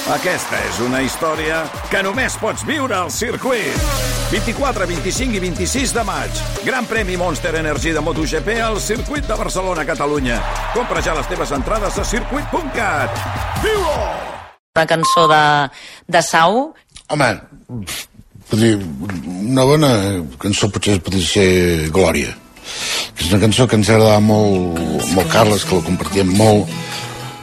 Aquesta és una història que només pots viure al circuit. 24, 25 i 26 de maig. Gran premi Monster Energy de MotoGP al circuit de Barcelona, Catalunya. Compra ja les teves entrades a circuit.cat. Viu-ho! Una cançó de Sau. Home, una bona cançó potser podria ser Glòria, que és una cançó que ens agradava molt Carles, que la compartíem molt.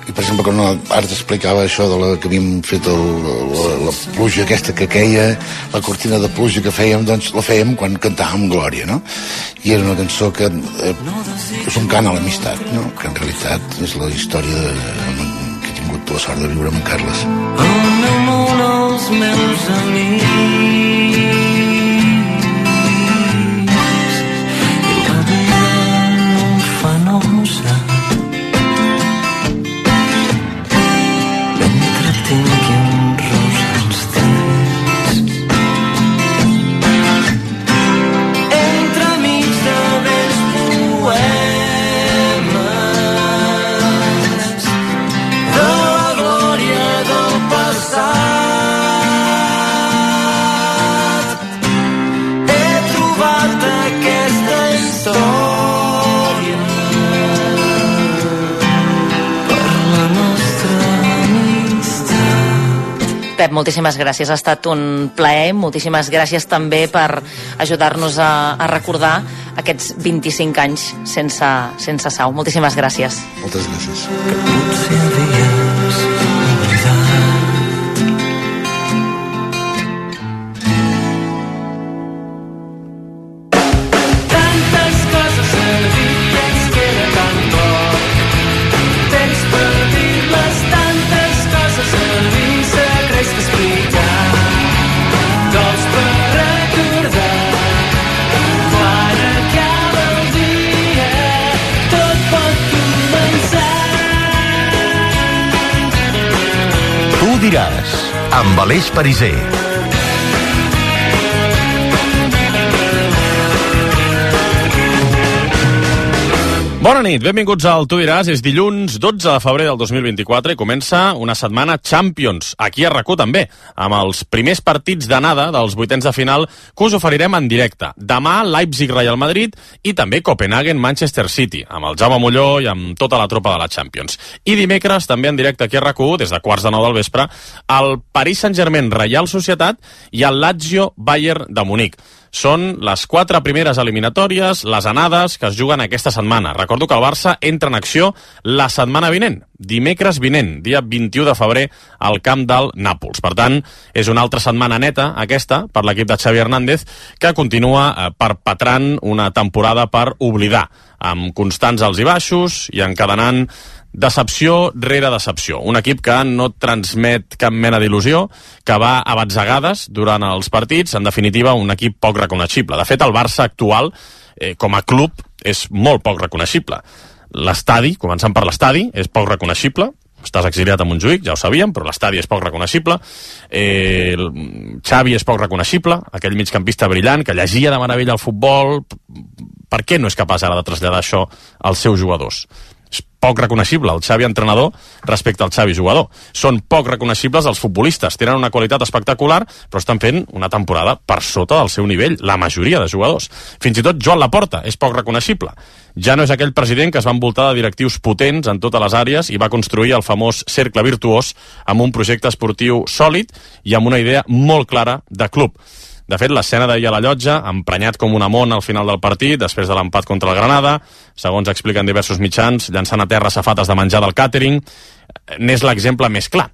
I per exemple quan ara t'explicava això de que havíem fet la pluja aquesta que queia, la cortina de pluja que fèiem, doncs la fèiem quan cantàvem Glòria, no? I era una cançó que és un cant a l'amistat, no? Que en realitat és la història que he tingut la sort de viure amb en Carles. El meu món, els meus amics, i la vida no em fa nosa. Tingui un rosa als dents. Entre mig de vells poemes de la glòria del passat, he trobat aquesta història per la nostra. Pep, moltíssimes gràcies, ha estat un plaer, moltíssimes gràcies també per ajudar-nos a recordar aquests 25 anys sense Sau. Moltíssimes gràcies. Moltes gràcies. Que potser havies oblidat. Tantes coses a dir que ens queda tan poc temps per dir-les, tantes coses a dir, secrets que explicar, tots per recordar. Quan acaba el dia, tot pot començar. Tu diràs, amb Aleix Pariser. Bona nit, benvinguts al Tu diràs. És dilluns 12 de febrer del 2024 i comença una setmana Champions, aquí a RAC1 també, amb els primers partits d'anada dels vuitens de final que us oferirem en directe. Demà Leipzig-Real Madrid i també Copenhagen-Manchester City, amb el Jaume Molló i amb tota la tropa de la Champions. I dimecres també en directe aquí a RAC1, des de 8:45 del vespre, el Paris Saint-Germain-Real Societat i el Lazio-Bayern de Munic. Són les 4 primeres eliminatòries, les anades que es juguen aquesta setmana. Recordo que el Barça entra en acció la setmana vinent, dimecres vinent, dia 21 de febrer, al camp del Nàpols. Per tant, és una altra setmana neta, aquesta, per l'equip de Xavi Hernández, que continua perpetrant una temporada per oblidar, amb constants alts i baixos i encadenant decepció rere decepció. Un equip que no transmet cap mena d'il·lusió, que va a batzegades durant els partits, en definitiva un equip poc reconeixible. De fet, el Barça actual, com a club, és molt poc reconeixible. L'estadi, començant per l'estadi, és poc reconeixible. Estàs exiliat a Montjuïc, ja ho sabíem, però l'estadi és poc reconeixible. Xavi és poc reconeixible, aquell migcampista brillant que llegia de meravella el futbol. Per què no és capaç ara de traslladar això als seus jugadors? És poc reconeixible el Xavi entrenador respecte al Xavi jugador. Són poc reconeixibles els futbolistes, tenen una qualitat espectacular, però estan fent una temporada per sota del seu nivell, la majoria de jugadors. Fins i tot Joan Laporta és poc reconeixible. Ja no és aquell president que es va envoltar de directius potents en totes les àrees i va construir el famós cercle virtuós amb un projecte esportiu sòlid i amb una idea molt clara de club. De fet, l'escena d'ahir a la Llotja, emprenyat com una mona al final del partit, després de l'empat contra el Granada, segons expliquen diversos mitjans, llançant a terra safates de menjar del càtering, n'és l'exemple més clar.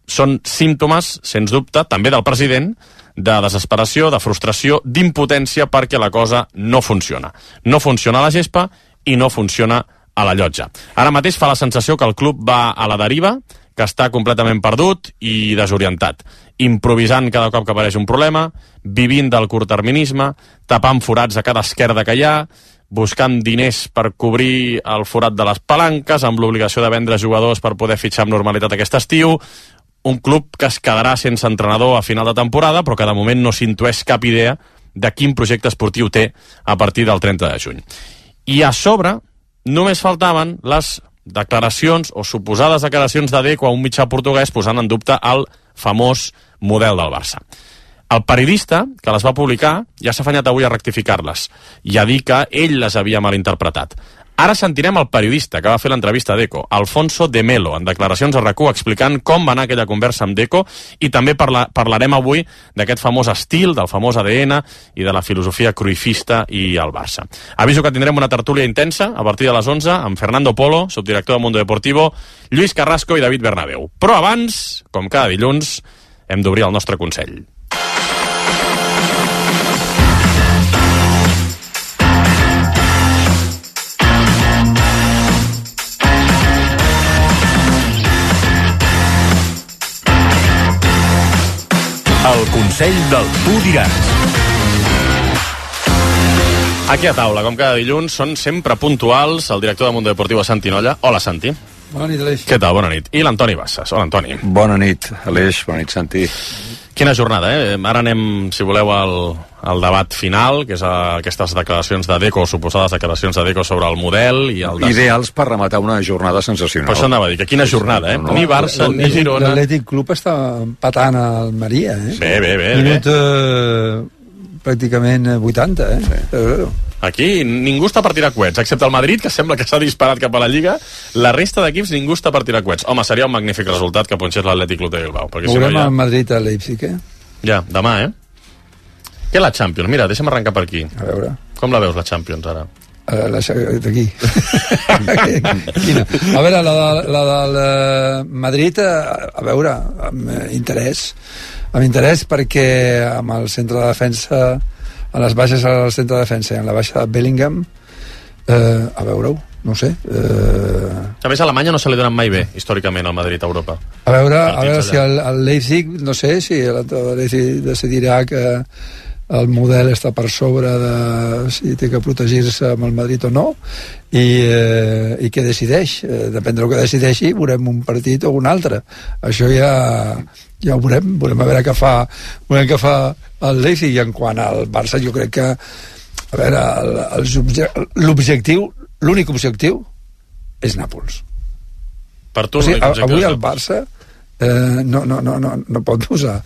Són símptomes, sens dubte, també del president, de desesperació, de frustració, d'impotència perquè la cosa no funciona. No funciona a la gespa i no funciona a la Llotja. Ara mateix fa la sensació que el club va a la deriva, que està completament perdut i desorientat, improvisant cada cop que apareix un problema, vivint del curtterminisme, tapant forats a cada esquerda que hi ha, buscant diners per cobrir el forat de les palanques, amb l'obligació de vendre jugadors per poder fitxar amb normalitat aquest estiu, un club que es quedarà sense entrenador a final de temporada, però que de moment no s'intueix cap idea de quin projecte esportiu té a partir del 30 de juny. I a sobre només faltaven les declaracions o suposades declaracions de Deco a un mitjà portuguès posant en dubte el famós model del Barça. El periodista que les va publicar ja s'ha afanyat avui a rectificar-les i a dir que ell les havia malinterpretat. Ara sentirem el periodista que va fer l'entrevista a Deco, Alfonso de Melo, en declaracions a RAC1 explicant com va anar aquella conversa amb Deco, i també parlarem avui d'aquest famós estil, del famós ADN i de la filosofia cruifista i el Barça. Aviso que tindrem una tertúlia intensa a partir de les 11 amb Fernando Polo, subdirector de Mundo Deportivo, Lluís Carrasco i David Bernabéu. Però abans, com cada dilluns, hem d'obrir el nostre consell. El Consell del Tu Diràs. Aquí a taula, com cada dilluns, són sempre puntuals el director de Mundo Deportivo, Santi Nolla. Hola, Santi. Bona nit, Aleix. Què tal? Bona nit. I l'Antoni Bassas. Hola, Antoni. Bona nit, Aleix. Bona nit, Santi. Quina jornada, eh? Ara anem, si voleu, al debat final, que és aquestes declaracions de Deco, suposades declaracions de Deco sobre el model i el... Ideals per rematar una jornada sensacional. Per això anava a dir, que quina jornada, eh? Ni Barça, ni Girona... L'Atlètic Club està empatant al Maria, eh? Bé. Minut pràcticament 80, eh? Sí. Aquí ningú està per tirar coets, excepte el Madrid, que sembla que s'ha disparat cap a la Lliga. La resta d'equips ningú està per tirar coets. Home, seria un magnífic resultat que punxés l'Atlètic Club de Bilbao. Veurem el Madrid a Leipzig, eh? Ja, demà, eh? Què la Champions? Mira, deixa'm arrencar per aquí. A veure. Com la veus, la Champions, ara? D'aquí. A veure, la del Madrid, a veure, amb interès. Amb interès perquè amb el centre de defensa, a les baixes al centre de defensa i en la baixa de Bellingham, a veure-ho, no sé. A més, a Alemanya no se li donen mai bé, històricament, al Madrid a Europa. A veure si el Leipzig, no sé, si el Leipzig decidirà que el model està per sobre de si té que protegir-se amb el Madrid o no, i què decideix. Depèn del que decideixi, veurem un partit o un altre. Això ja ho veurem a veure què fa el Leipzig. I en quant al Barça, jo crec que, a veure, l'únic objectiu és Nàpols. Per tu, o sigui, avui el Barça no pot usar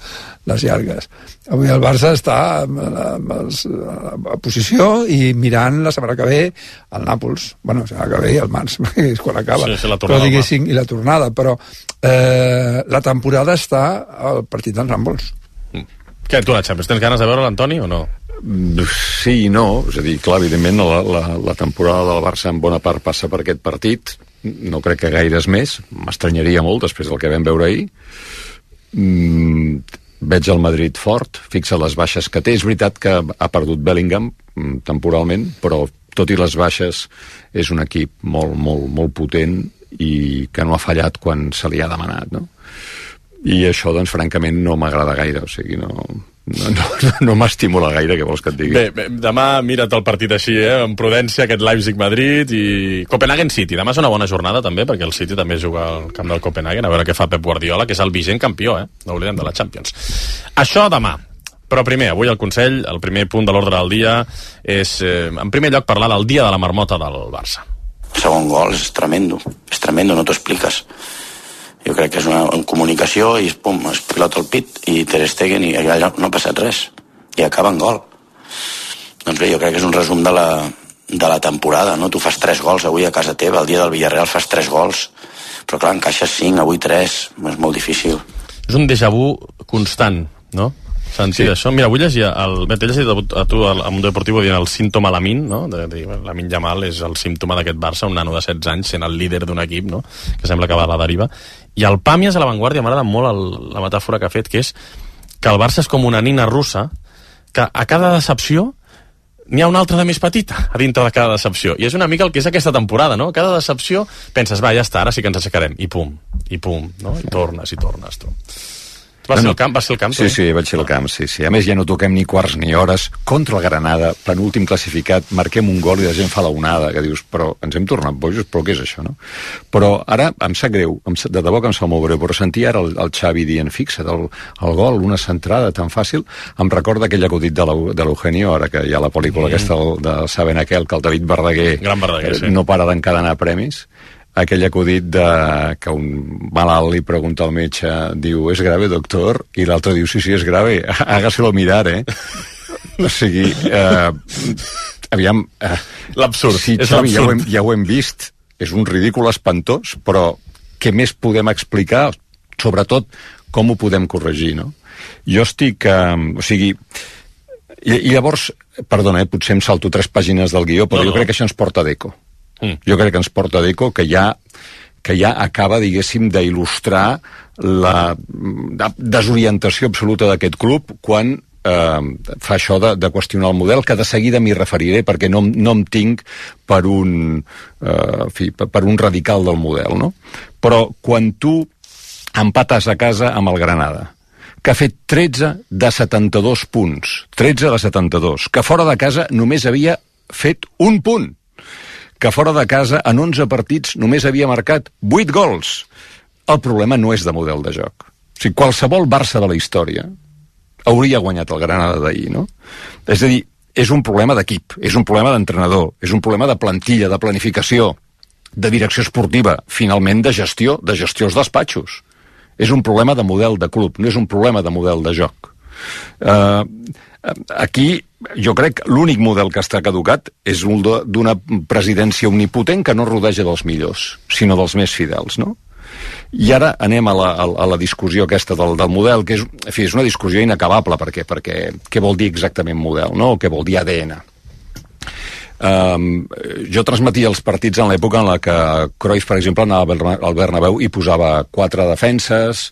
les llargues. Avui el Barça està a posició i mirant la setmana que ve al Nàpols. Bueno, la setmana que ve i al març, és quan acaba. Sí, la tornada, però diguéssim, i la tornada. Però la temporada està al partit dels Nàpols. Què, tu la Champions? Tens ganes de veure l'Antoni o no? Sí i no. És a dir, clar, evidentment la temporada del Barça en bona part passa per aquest partit. No crec que gaires més. M'estranyaria molt després del que vam veure ahir. Veig el Madrid fort, fixa les baixes que té. És veritat que ha perdut Bellingham temporalment, però tot i les baixes és un equip molt, molt, molt potent i que no ha fallat quan se li ha demanat, no? I això, doncs, francament, no m'agrada gaire. O sigui, no m'estimula gaire, què vols que et digui? Bé, demà mira't el partit així, amb prudència, aquest Leipzig-Madrid i Copenhagen-City. Demà és una bona jornada, també, perquè el City també juga al camp del Copenhagen, a veure què fa Pep Guardiola, que és el vigent campió, no oblidem, de la Champions. Això demà. Però primer, avui al Consell, el primer punt de l'ordre del dia és, en primer lloc, parlar del dia de la marmota del Barça. El segon gol és tremendo, no t'ho expliques. Jo crec que és una comunicació i pum, es pilota el pit i Ter Stegen i allà no ha passat res i acaba en gol. Doncs bé, jo crec que és un resum de la temporada, no? Tu fas 3 gols avui a casa teva, el dia del Villarreal fas 3 gols, però clar, encaixes 5, avui 3, és molt difícil. És un déjà vu constant, no? Sentir això. Mira, avui llegia t'he llegit a tu al Mundo Deportivo dient el símptoma Lamine, no? Lamine Yamal és el símptoma d'aquest Barça, un nano de 16 anys sent el líder d'un equip, no? Que sembla que va a la deriva. I el Pàmies a l'avantguàrdia m'agrada molt la metàfora que ha fet, que és que el Barça és com una nina russa que a cada decepció n'hi ha una altra de més petita a dintre de cada decepció. I és una mica el que és aquesta temporada, no? Cada decepció penses, va, ja està, ara sí que ens aixecarem. I pum, no? I tornes, tu. Va ser el camp? Sí, vaig ser al camp, sí. A més, ja no toquem ni quarts ni hores. Contra el Granada, penúltim classificat, marquem un gol i la gent fa la onada, que dius, però ens hem tornat bojos, però què és això, no? Però ara em sap greu, de debò que em sap molt greu, però sentir ara el Xavi dient, fixa't, el gol, una centrada tan fàcil, em recorda aquell acudit de l'Eugenio, ara que hi ha la pel·lícula aquesta de Saben aquel, que el David Verdaguer sí. No para d'encadenar premis. aquell acudit que un malalt li pregunta al metge, diu, ¿es grave, doctor? I l'altre diu, sí, es grave, hágaselo mirar, O sigui, aviam... L'absurd, sí, és Xavi, l'absurd. ja ho hem vist, és un ridícul espantós, però què més podem explicar? Sobretot, com ho podem corregir, no? Jo estic... o sigui... I llavors, perdona, potser em salto 3 pàgines del guió, però jo crec que això ens porta d'eco. Jo crec que ens porta d'eco, que ja acaba, diguéssim, d'il·lustrar la desorientació absoluta d'aquest club quan fa això de qüestionar el model, que de seguida m'hi referiré perquè no em tinc per un radical del model, no? Però quan tu empates a casa amb el Granada, que ha fet 13 de 72 punts, 13 de 72, que fora de casa només havia fet un punt, que fora de casa en 11 partits només havia marcat 8 gols. El problema no és de model de joc. O sigui, qualsevol Barça de la història hauria guanyat el Granada d'ahir, no? És a dir, és un problema d'equip, és un problema d'entrenador, és un problema de plantilla, de planificació, de direcció esportiva, finalment de gestió als despatxos. És un problema de model de club, no és un problema de model de joc. Aquí, jo crec que l'únic model que està caducat és un d'una presidència omnipotent que no rodeja dels millors, sinó dels més fidels, no? I ara anem a la discussió aquesta del model, que és una discussió inacabable, perquè què vol dir exactament model, no? O què vol dir ADN? Jo transmetia els partits en l'època en la que Cruyff, per exemple, anava al Bernabéu i posava 4 defenses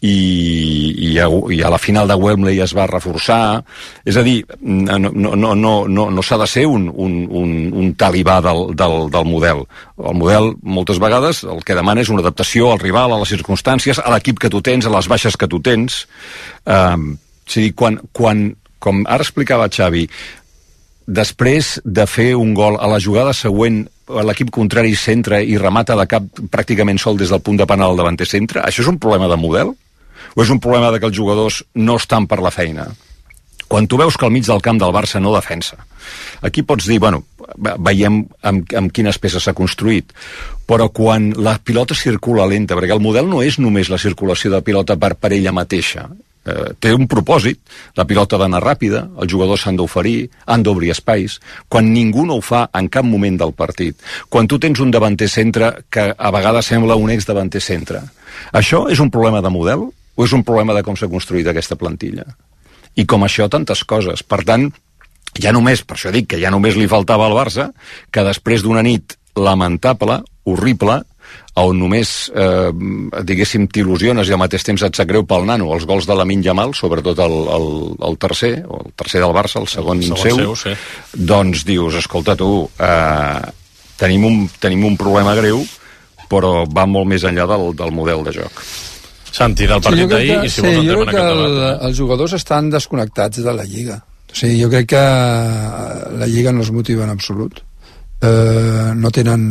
i a la final de Wembley es va reforçar. És a dir, no s'ha de ser un talibà del model. El model, moltes vegades, el que demana és una adaptació al rival, a les circumstàncies, a l'equip que tu tens, a les baixes que tu tens. És a dir, com ara explicava Xavi, després de fer un gol a la jugada següent, l'equip contrari centra i remata de cap pràcticament sol des del punt de penal al davanter centre, això és un problema de model? O és un problema de que els jugadors no estan per la feina? Quan tu veus que al mig del camp del Barça no defensa, aquí pots dir, bueno, veiem amb quines peces s'ha construït, però quan la pilota circula lenta, perquè el model no és només la circulació de pilota per ella mateixa, té un propòsit, la pilota ha d'anar ràpida, els jugadors s'han d'oferir, han d'obrir espais, quan ningú no ho fa en cap moment del partit, quan tu tens un davanter centre que a vegades sembla un ex-davanter centre. Això és un problema de model o és un problema de com s'ha construït aquesta plantilla? I com això, tantes coses. Per tant, per això dic que ja només li faltava al Barça que després d'una nit lamentable, horrible, on només, diguéssim, t'il·lusiones i al mateix temps et sap greu pel nano, els gols de Lamine Yamal, sobretot el tercer del Barça, el segon seu, sí. Doncs dius, escolta tu, tenim un problema greu, però va molt més enllà del model de joc. Santi, del partit d'ahir, i si vols entrem en aquest debat. Els jugadors estan desconnectats de la Lliga. O sigui, jo crec que la Lliga no els motiva en absolut. No tenen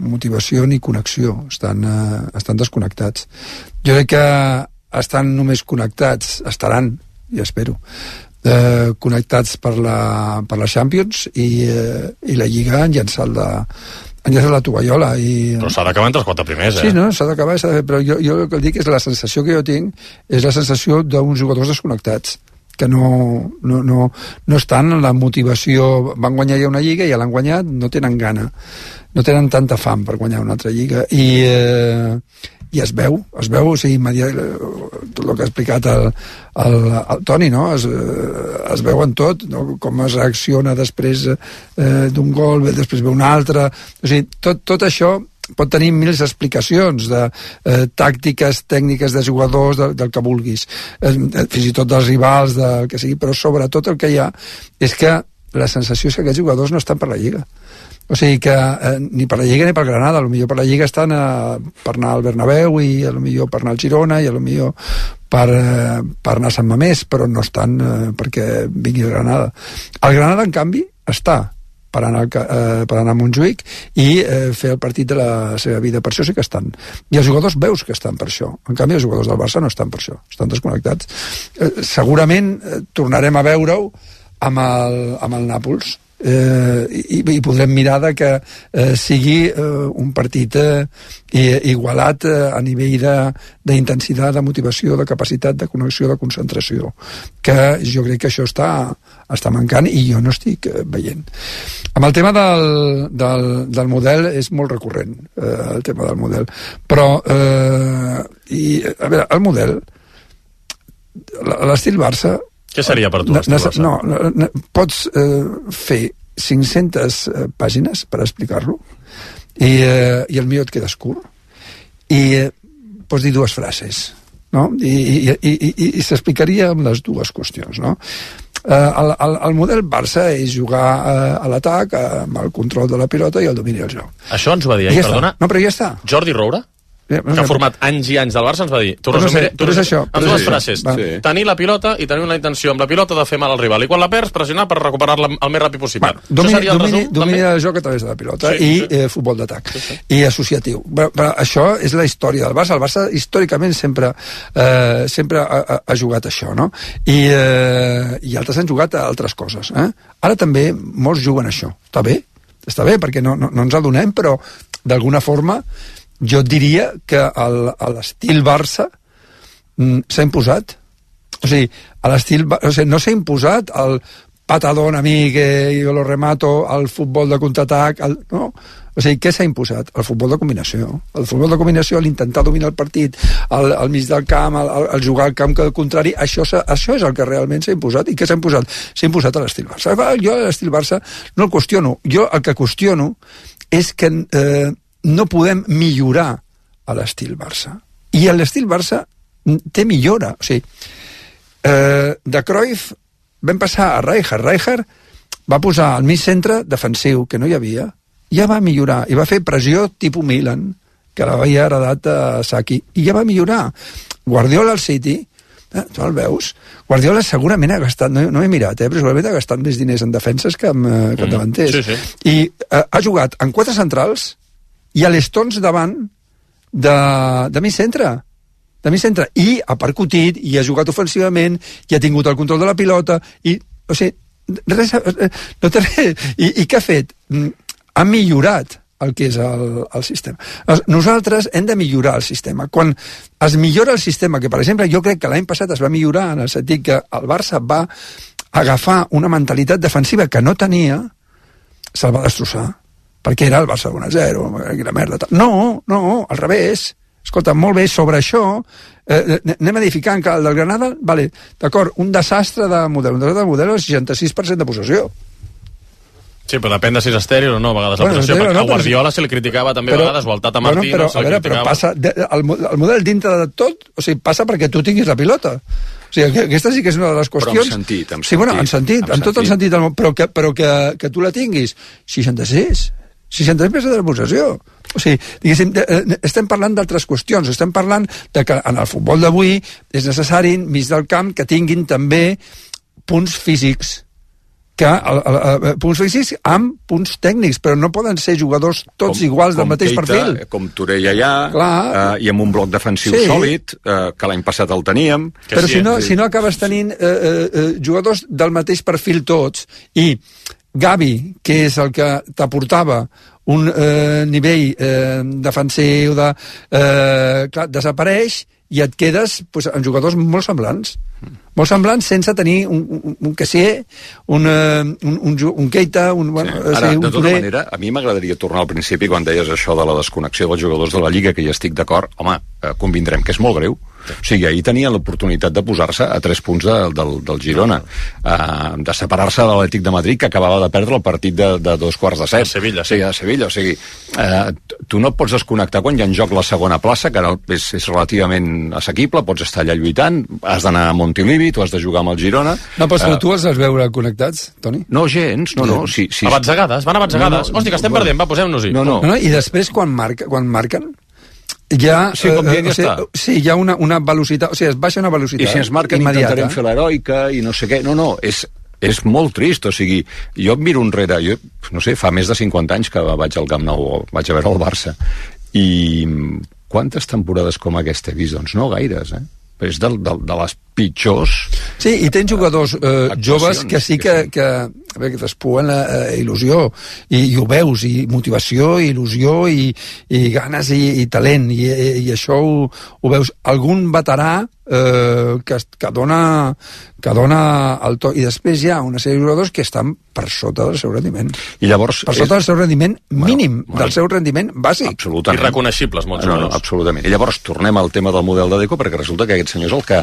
motivació ni connexió, estan desconnectats. Jo crec que estan només connectats, estaran, ja espero, connectats per la Champions i la Lliga han llançat la tovallola. Però s'ha d'acabar entre els 4 primers, Sí, no, s'ha d'acabar, però jo el que dic és la sensació que jo tinc és la sensació d'uns jugadors desconnectats que no estan en la motivació. Van guanyar ja una lliga, ja l'han guanyat, no tenen gana, no tenen tanta fam per guanyar una altra lliga i es veu, o sigui, tot el que ha explicat el Toni, no? Es veu en tot, no? Com es reacciona després d'un gol, després ve un altre, o sigui, tot això pot tenir mil explicacions de tàctiques, tècniques de jugadors, del que vulguis, fins i tot dels rivals, del que sigui, però sobretot el que hi ha és que la sensació és que aquests jugadors no estan per la Lliga. O sigui que ni per la Lliga ni per Granada, potser per la Lliga estan per anar al Bernabéu i potser per anar al Girona i potser per anar a Sant Mamés, però no estan perquè vingui el Granada. El Granada, en canvi, està per anar a Montjuïc i fer el partit de la seva vida. Per això sí que estan. I els jugadors veus que estan per això. En canvi, els jugadors del Barça no estan per això. Estan desconnectats. Segurament tornarem a veure-ho amb el Nàpols. i podrem mirar de que sigui un partit igualat a nivell d'intensitat, de motivació, de capacitat, de connexió, de concentració, que jo crec que això està mancant i jo no estic veient. Amb el tema del model és molt recurrent, el tema del model, però a veure, el model, l'estil Barça... Què seria per tu l'estil Barça? No, pots fer 500 pàgines per explicar-lo i el millor et quedes curt i pots dir dues frases, no? I s'explicaria amb les dues qüestions, no? El model Barça és jugar a l'atac amb el control de la pilota i el domini del joc. Això ens ho va dir, perdona? No, però ja està. Jordi Roura? Que ha format anys i anys del Barça, ens va dir, amb dues frases, tenir la pilota i tenir una intenció amb la pilota de fer mal al rival, i quan la perds, pressionar per recuperar-la el més ràpid possible. Domini del joc a través de la pilota i futbol d'atac i associatiu. Però això és la història del Barça. El Barça històricament sempre ha jugat això, no? I altres han jugat a altres coses. Ara també molts juguen això. Està bé perquè no ens adonem, però d'alguna forma jo diria que l'estil Barça s'ha imposat. O sigui, no s'ha imposat el patadón a mi que jo lo remato, el futbol de contraatac, no. O sigui, què s'ha imposat? El futbol de combinació. El futbol de combinació, l'intentar dominar el partit, al mig del camp, el jugar al camp contrari, això és el que realment s'ha imposat. I què s'ha imposat? S'ha imposat a l'estil Barça. Jo l'estil Barça no el qüestiono. Jo el que qüestiono és que no podem millorar a l'estil Barça. I l'estil Barça té millora. O sigui, de Cruyff vam passar a Rijkaard. Rijkaard va posar al mig centre defensiu, que no hi havia, ja va millorar, i va fer pressió tipus Milan, que l'havia heredat a Saki, i ja va millorar. Guardiola al City, tu el veus? Guardiola segurament ha gastat, no he mirat, però segurament ha gastat més diners en defenses que en davanters. I ha jugat en 4 centrals i a l'Stones davant de mig centre. I ha percutit, i ha jugat ofensivament, i ha tingut el control de la pilota, i, o sigui, res, no té res. I què ha fet? Ha millorat el que és el sistema. Nosaltres hem de millorar el sistema. Quan es millora el sistema, que per exemple jo crec que l'any passat es va millorar en el sentit que el Barça va agafar una mentalitat defensiva que no tenia, se'l va destrossar. Perquè era el Barça 1-0, la merda. No, al revés. Escolta, molt bé, sobre això anem edificant que el del Granada, vale, d'acord, un desastre de model. Un desastre de model és 66% de possessió. Sí, però depèn de si és estèril o no, a vegades la possessió, perquè a Guardiola se li criticava també a vegades, o al Tata Martino se li criticava. Però passa, el model dintre de tot, o sigui, passa perquè tu tinguis la pilota. O sigui, aquesta sí que és una de les qüestions... Però en sentit. Sí, bueno, en tot el sentit del món, però que tu la tinguis 66% de la possessió. O sigui, diguéssim, estem parlant d'altres qüestions, estem parlant de que en el futbol d'avui és necessari, mig del camp, que tinguin també punts físics, punts físics amb punts tècnics, però no poden ser jugadors tots iguals del mateix perfil. Com Touré allà, i amb un bloc defensiu sòlid, que l'any passat el teníem. Però si no acabes tenint jugadors del mateix perfil tots, i Gavi, que és el que t'aportava un nivell defensiu clar, desapareix i et quedes amb jugadors molt semblants sense tenir un Kessié, un Keita, Ara, de tota manera, a mi m'agradaria tornar al principi quan deies això de la desconnexió dels jugadors de la Lliga, que hi estic d'acord. Home, convindrem que és molt greu. O sigui, ahir tenien l'oportunitat de posar-se a 3 punts del Girona, de separar-se de l'Atlètic de Madrid, que acabava de perdre el partit de 2:15. A Sevilla. Sí, a Sevilla. O sigui, tu no et pots desconnectar quan hi ha en joc la segona plaça, que ara és relativament assequible, pots estar allà lluitant, has d'anar a Montilivi, tu has de jugar amb el Girona... No, però tu els has veure connectats, Toni? No, gens, no. Sí. A batzegades, van a batzegades. Hòstia, que estem perdent, va, posem-nos-hi. No. I després, quan marquen, sí, com dient, ja està. Sí, hi ha una velocitat, o sigui, es baixa una velocitat. I si ens marquen immediata. Intentarem fer l'heroica i no sé què. No, és molt trist, o sigui, jo em miro enrere, jo, no sé, fa més de 50 anys que vaig al Camp Nou, vaig a veure el Barça, i quantes temporades com aquesta he vist? Doncs no gaires, És de les pitjors. Sí, i tens jugadors joves que sí que despuen la il·lusió, i ho veus, i motivació, i il·lusió, i ganes, i talent, i això ho veus. Algun veterà que dona el to, i després hi ha una sèrie de jugadors que estan per sota del seu rendiment. I llavors per sota del seu rendiment mínim, del seu rendiment bàsic. Absolutament. Irreconeixibles, molts jugadors. No, absolutament. I llavors tornem al tema del model de Deco, perquè resulta que aquest senyor és el que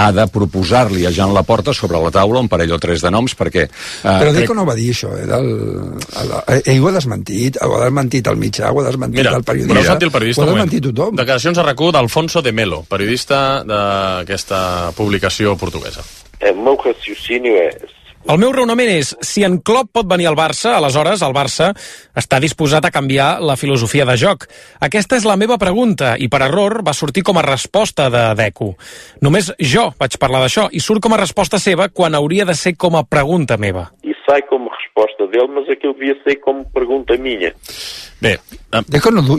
ha de proposar-li a Joan Laporta sobre la taula un parell o tres de noms, perquè... Però Deco no va dir això, ell ho ha desmentit el mitjà, ho ha desmentit el periodista. Però sentir el periodista, ho ha desmentit tothom. Declaracions a RAC1 d'Alfonso de Melo, periodista d'aquesta publicació portuguesa. El meu raciocini és... El meu raonament és, si en Klopp pot venir al Barça, aleshores el Barça està disposat a canviar la filosofia de joc. Aquesta és la meva pregunta, i per error va sortir com a resposta de Deco. Només jo vaig parlar d'això, i surt com a resposta seva quan hauria de ser com a pregunta meva. I sai com a resposta dele, mas aquilo devia ser com pregunta minha. Bé,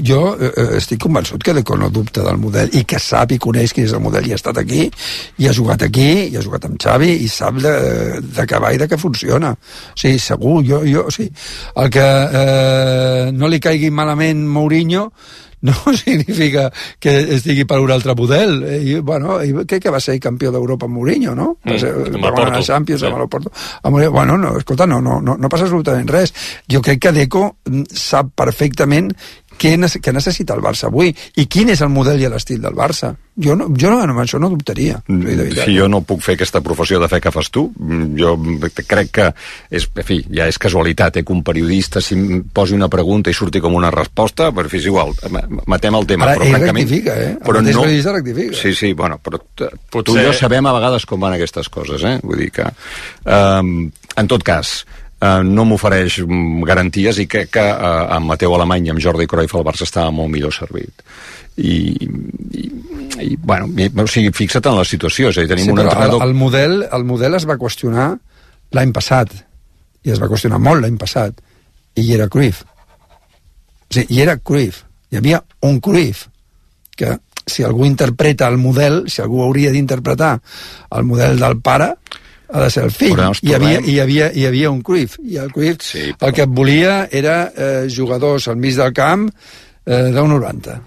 jo estic convençut que Deco no dubta del model, i que sap i coneix quin és el model, i ha estat aquí, i ha jugat amb Xavi, i sap de què va i de què funciona. O sigui, segur, o sigui, el que no li caigui malament Mourinho no significa que estigui per un altre model. Crec que va ser campió d'Europa amb Mourinho, no? Va guanyar la Champions amb el Porto. Bueno, no, escolta, no passa absolutament res. Jo crec que Deco sap perfectament què necessita el Barça avui i quin és el model i l'estil del Barça. Jo amb això no dubtaria. Si jo no puc fer aquesta professió de fe que fas tu, jo crec que ja és casualitat que un periodista si posi una pregunta i surti com una resposta, però és igual, matem el tema. Ara ell rectifica, el mateix periodista rectifica. Sí, bueno, però tu i jo sabem a vegades com van aquestes coses, vull dir que en tot cas no m'ofereix garanties, i crec que amb Mateu Alemany i amb Jordi Cruyff el Barça estava molt millor servit. O sigui, fixa't en la situació, és a dir, tenim un entrenador... El model es va qüestionar l'any passat, i es va qüestionar molt l'any passat, i hi era Cruyff. O sigui, hi era Cruyff, hi havia un Cruyff, que si algú interpreta el model, si algú hauria d'interpretar el model del pare, ha de ser el fill. Hi havia un Cruyff, i el Cruyff el que volia era jugadors al mig del camp d'1,90.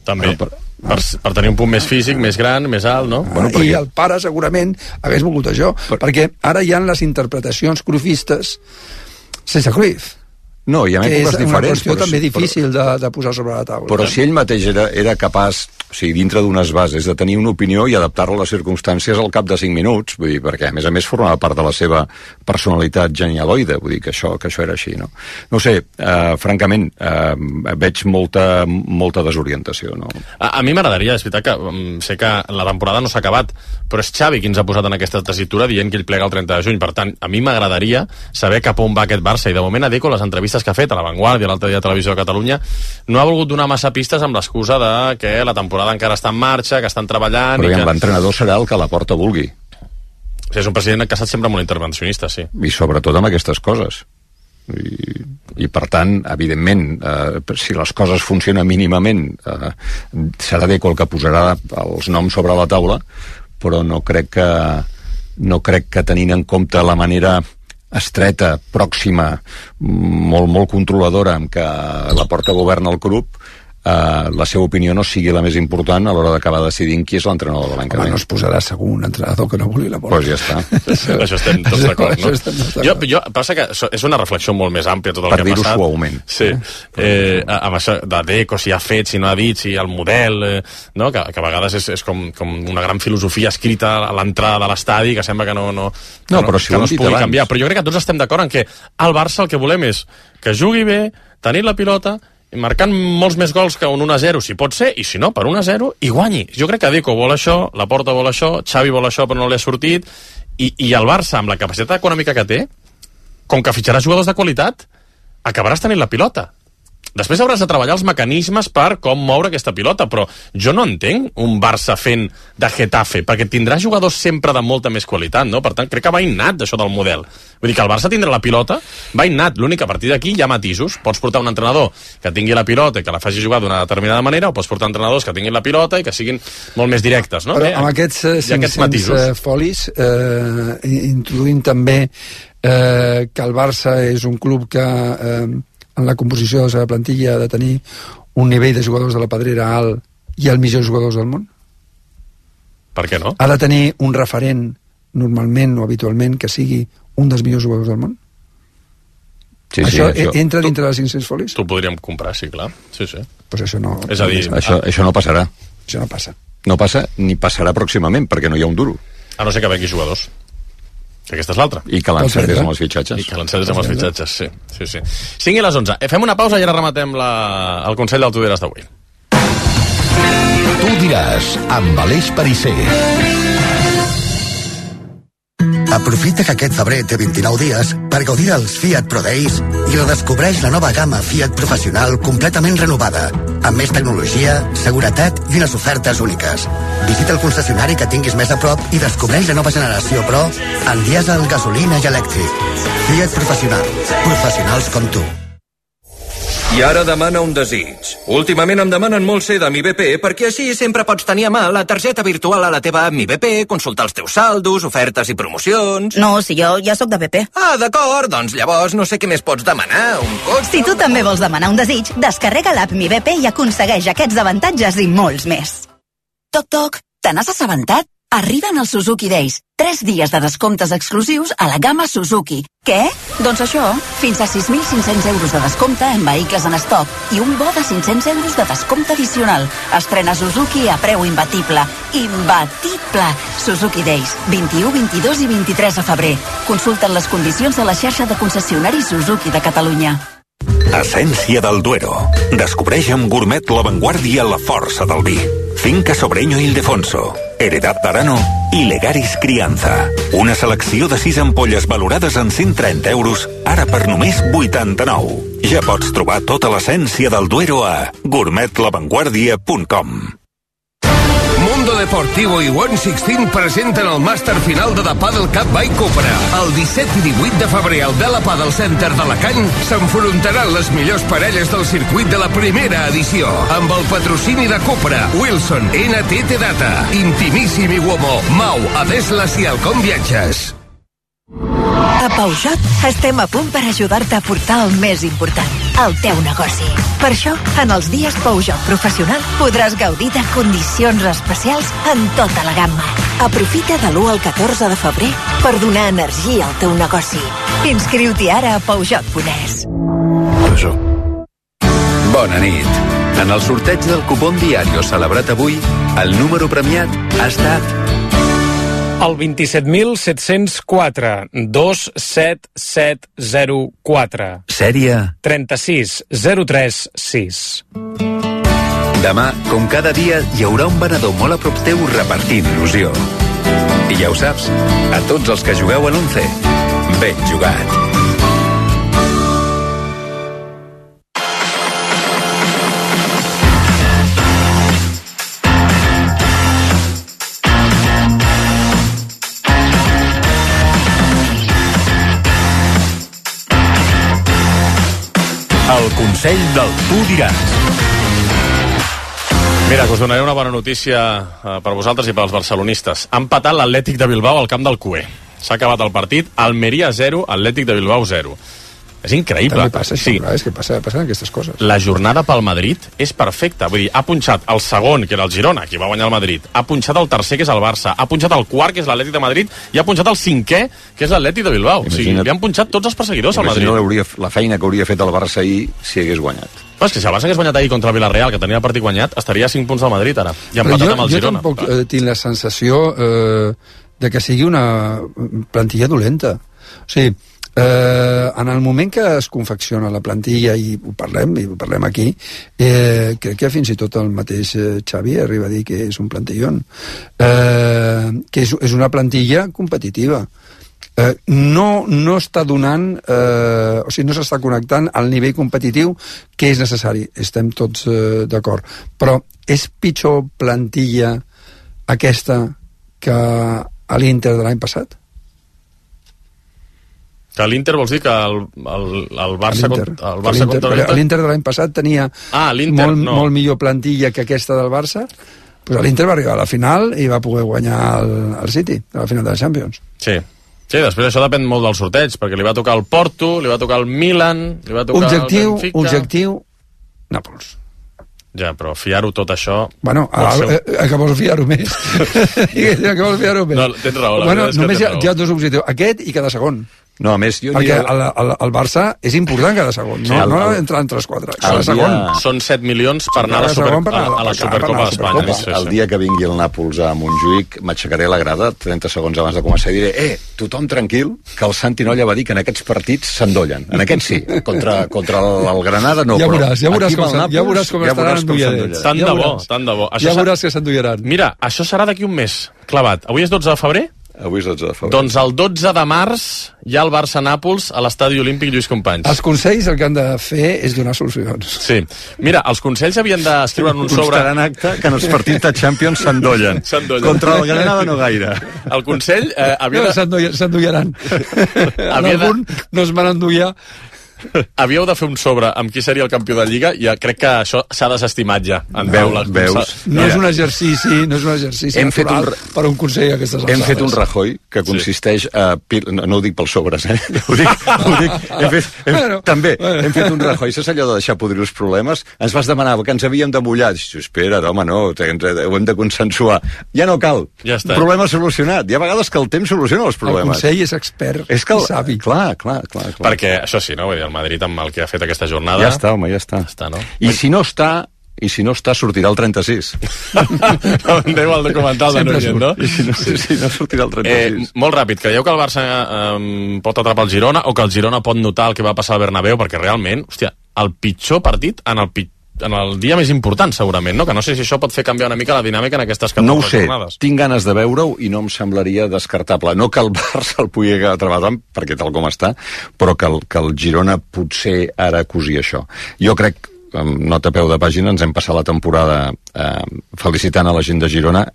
També, per tenir un punt més físic, més gran, més alt, no? I el pare segurament hagués volgut això, perquè ara hi ha les interpretacions cruyffistes sense Cruyff. No, hi ha èpoques diferents. És una qüestió també difícil de posar sobre la taula. Però si ell mateix era capaç, o sigui, dintre d'unes bases, de tenir una opinió i adaptar-la a les circumstàncies al cap de 5 minuts, vull dir, perquè a més formava part de la seva personalitat genialoide, vull dir que això era així, no? No sé, francament, veig molta desorientació, no? A mi m'agradaria, és veritat que sé que la temporada no s'ha acabat, però és Xavi qui ens ha posat en aquesta tessitura dient que ell plega el 30 de juny, per tant, a mi m'agradaria saber cap on va aquest Barça, i de moment a Deco les entrevistes que ha fet a La Vanguardia, l'altre dia a Televisió de Catalunya, no ha volgut donar massa pistes amb l'excusa de que la temporada encara està en marxa, que estan treballant... Però l'entrenador serà el que Laporta vulgui. És un president que ha estat sempre molt intervencionista, sí. I sobretot amb aquestes coses. I per tant, evidentment, si les coses funcionen mínimament, serà Deco el que posarà els noms sobre la taula, però no crec que tenint en compte la manera estreta, pròxima, molt controladora amb què Laporta governa el club, la seva opinió no sigui la més important a l'hora d'acabar decidint qui és l'entrenador de l'any que ve. No es posarà segur un entrenador que no vulgui Laporta. Pues ja està. Això estem tots d'acord, no? Passa que és una reflexió molt més àmplia tot el que ha passat. Per dir-ho suaument. Sí. Amb això de Deco, si ha fet, si no ha dit, si el model, no? Que a vegades és com una gran filosofia escrita a l'entrada de l'estadi que sembla que no es pugui canviar. Però jo crec que tots estem d'acord en que al Barça el que volem és que jugui bé, tenir la pilota, marcant molts més gols que un 1-0, si pot ser, i si no, per 1-0, i guanyi. Jo crec que Deco vol això, Laporta vol això, Xavi vol això, però no li ha sortit, i el Barça, amb la capacitat econòmica que té, com que fitxarà jugadors de qualitat, acabaràs tenint la pilota. Després hauràs de treballar els mecanismes per com moure aquesta pilota, però jo no entenc un Barça fent de Getafe, perquè tindrà jugadors sempre de molta més qualitat, no? Per tant, crec que va innat això del model. Vull dir que el Barça tindrà la pilota, va innat. L'únic que a partir d'aquí hi ha matisos. Pots portar un entrenador que tingui la pilota i que la faci jugar d'una determinada manera, o pots portar entrenadors que tinguin la pilota i que siguin molt més directes, no? Però amb aquests 500 folis introduïm també que el Barça és un club que en la composició de la seva plantilla ha de tenir un nivell de jugadors de la Pedrera alt i els millors jugadors del món? Per què no? Ha de tenir un referent normalment o habitualment que sigui un dels millors jugadors del món? Sí, això entra dintre de les 500 folis? T'ho podríem comprar, sí, clar. Sí. Pues això no... És a dir, això no passarà. Això no passa. No passa ni passarà pròximament, perquè no hi ha un duro. A no ser que vengui jugadors. Aquesta és l'altra. I que l'encertés amb els fitxatges. I que l'encertés amb els fitxatges, sí. 5 i les 11. Fem una pausa i ara rematem el Consell del Tu diràs d'avui. Tu diràs, amb Aleix Perisser. Aprofita que aquest febrer té 29 dies per gaudir dels Fiat Pro Days i redescobreix la nova gamma Fiat Professional completament renovada, amb més tecnologia, seguretat i unes ofertes úniques. Visita el concessionari que tinguis més a prop i descobreix la nova generació Pro en dièsel, gasolina i elèctric. Fiat Professional. Professionals com tu. I ara demana un desig. Últimament em demanen molt ser de Mi BP perquè així sempre pots tenir a mà la targeta virtual a la teva app Mi BP, consultar els teus saldos, ofertes i promocions... No, si jo ja sóc de BP. Ah, d'acord, doncs llavors no sé què més pots demanar, un cotxe... Si tu també vols demanar un desig, descarrega l'app Mi BP i aconsegueix aquests avantatges i molts més. Toc, toc, te n'has assabentat? Arriben els Suzuki Days. 3 dies de descomptes exclusius a la gamma Suzuki. Què? Doncs això, fins a 6.500 euros de descompte en vehicles en estoc i un bo de 500 euros de descompte addicional. Estrena Suzuki a preu imbatible. Imbatible! Suzuki Days, 21, 22 i 23 de febrer. Consulta'n les condicions de la xarxa de concessionaris Suzuki de Catalunya. Essència del Duero. Descobreix amb Gourmet La Vanguardia la força del vi. Finca Sobreño Ildefonso, Heredad d'Arano i Legaris Crianza. Una selecció de 6 ampolles valorades en 130 euros, ara per només 89. Ja pots trobar tota l'essència del Duero a gourmetlavanguardia.com. Mundo Deportivo i One Sixteen presenten el màster final de The Padel Cup by Cupra. El 17 i 18 de febrer al Vela Padel Center d'Alacant s'enfrontaran les millors parelles del circuit de la primera edició. Amb el patrocini de Cupra, Wilson, NTT Data, Intimissimi Uomo, Mau, Adeslas i Alcom Viatges. A Peugeot estem a punt per ajudar-te a portar el més important, el teu negoci. Per això, en els dies Peugeot Professional podràs gaudir de condicions especials en tota la gamma. Aprofita de l'1 al 14 de febrer per donar energia al teu negoci. Inscriu-t'hi ara a Peugeot.es. Bona nit. En el sorteig del cupón diario celebrat avui, el número premiat ha estat... El 27.704, 27704. Sèrie 36036. Demà, com cada dia, hi haurà un venedor molt a prop teu repartint il·lusió. I ja ho saps, a tots els que jugueu a l'11, ben jugat. El Consell del Tu diràs. Mira, us donaré una bona notícia per vosaltres i pels barcelonistes. Ha empatat l'Atlètic de Bilbao al camp del CUE. S'ha acabat el partit, Almeria 0, Atlètic de Bilbao 0. És increïble. També passa això, és que passen aquestes coses. La jornada pel Madrid és perfecta. Vull dir, ha punxat el segon, que era el Girona, qui va guanyar el Madrid, ha punxat el tercer, que és el Barça, ha punxat el quart, que és l'Atlètic de Madrid, i ha punxat el cinquè, que és l'Atlètic de Bilbao. O sigui, li han punxat tots els perseguidors al Madrid. La feina que hauria fet el Barça ahir si hagués guanyat. Però és que si el Barça hagués guanyat ahir contra el Villarreal, que tenia el partit guanyat, estaria a 5 punts del Madrid ara. I ha empatat amb el Girona. Jo tampoc tinc la sensació de que sigui una plantilla dolenta. O sigui, en el moment que es confecciona la plantilla i ho parlem aquí, crec que fins i tot el mateix Xavi arriba a dir que és un plantillón, que és una plantilla competitiva, no està donant, o sigui, no s'està connectant al nivell competitiu que és necessari. Estem tots d'acord. Però és pitjor plantilla aquesta que a l'Inter de l'any passat? Que l'Inter vols dir que el Barça contra l'Inter? L'Inter de l'any passat tenia molt millor plantilla que aquesta del Barça, però l'Inter va arribar a la final i va poder guanyar el City, a la final de la Champions. Sí, després això depèn molt del sorteig, perquè li va tocar el Porto, li va tocar el Milan, li va tocar el Benfica... Objectiu, Nàpols. Ja, però fiar-ho tot això... Bueno, que vols fiar-ho més? Que vols fiar-ho més? No, tens raó. Bueno, només hi ha dos objectius, aquest i cada segon. No, a més, perquè el Barça és important cada segon, no entrar entre els 4. Cada segon. Són 7 milions per anar a la Supercopa d'Espanya. El dia que vingui el Nàpols a Montjuïc m'aixecaré la grada 30 segons abans de començar i diré tothom tranquil, que el Santi Nolla va dir que en aquests partits s'endollen. En aquests sí, contra el Granada no, ja veuràs com estaran endolladets. Tant de bo. Ja veuràs que s'endollaran. Mira, això serà d'aquí un mes, clavat. Avui és 12 de febrer? Avui és 12 de febrer. Doncs el 12 de març hi ha el Barça-Nàpols a l'Estadi Olímpic Lluís Companys. Els consells el que han de fer és donar solucions. Sí. Mira, els consells havien d'escriure en un sobre... Constarà en acte que en els partits de Champions s'endollen. Contra el Granada no gaire. El Consell havia de... S'endollaran. Algun no es van endollar. Havíeu de fer un sobre amb qui seria el campió de Lliga i crec que això s'ha desestimat ja. Veus? No és un exercici natural per un consell aquestes alçades. Hem fet un Rajoy que consisteix a... No ho dic pels sobres, ho dic... També, hem fet un Rajoy. És allò de deixar podrir els problemes. Ens vas demanar que ens havíem de mullar. Espera, home, no, ho hem de consensuar. Ja no cal. Problema solucionat. Hi ha vegades que el temps soluciona els problemes. El consell és expert i savi. Clar. Perquè això sí, no? Vull dir, el Madrid amb el que ha fet aquesta jornada... Ja està, home, ja està. No? I si no està, sortirà el 36. Déu el documental de Núñez, no? I si no sortirà el 36. Molt ràpid, creieu que el Barça pot atrapar el Girona o que el Girona pot notar el que va passar al Bernabéu? Perquè realment, hòstia, el pitjor partit en el dia més important, segurament, no? Que no sé si això pot fer canviar una mica la dinàmica en aquestes 14 jornades. No ho sé, tinc ganes de veure-ho i no em semblaria descartable. No que el Barça el pugui atrapar tant, perquè tal com està, però que el Girona potser ara cosi això. Jo crec, nota a peu de pàgina, ens hem passat la temporada felicitant a la gent de Girona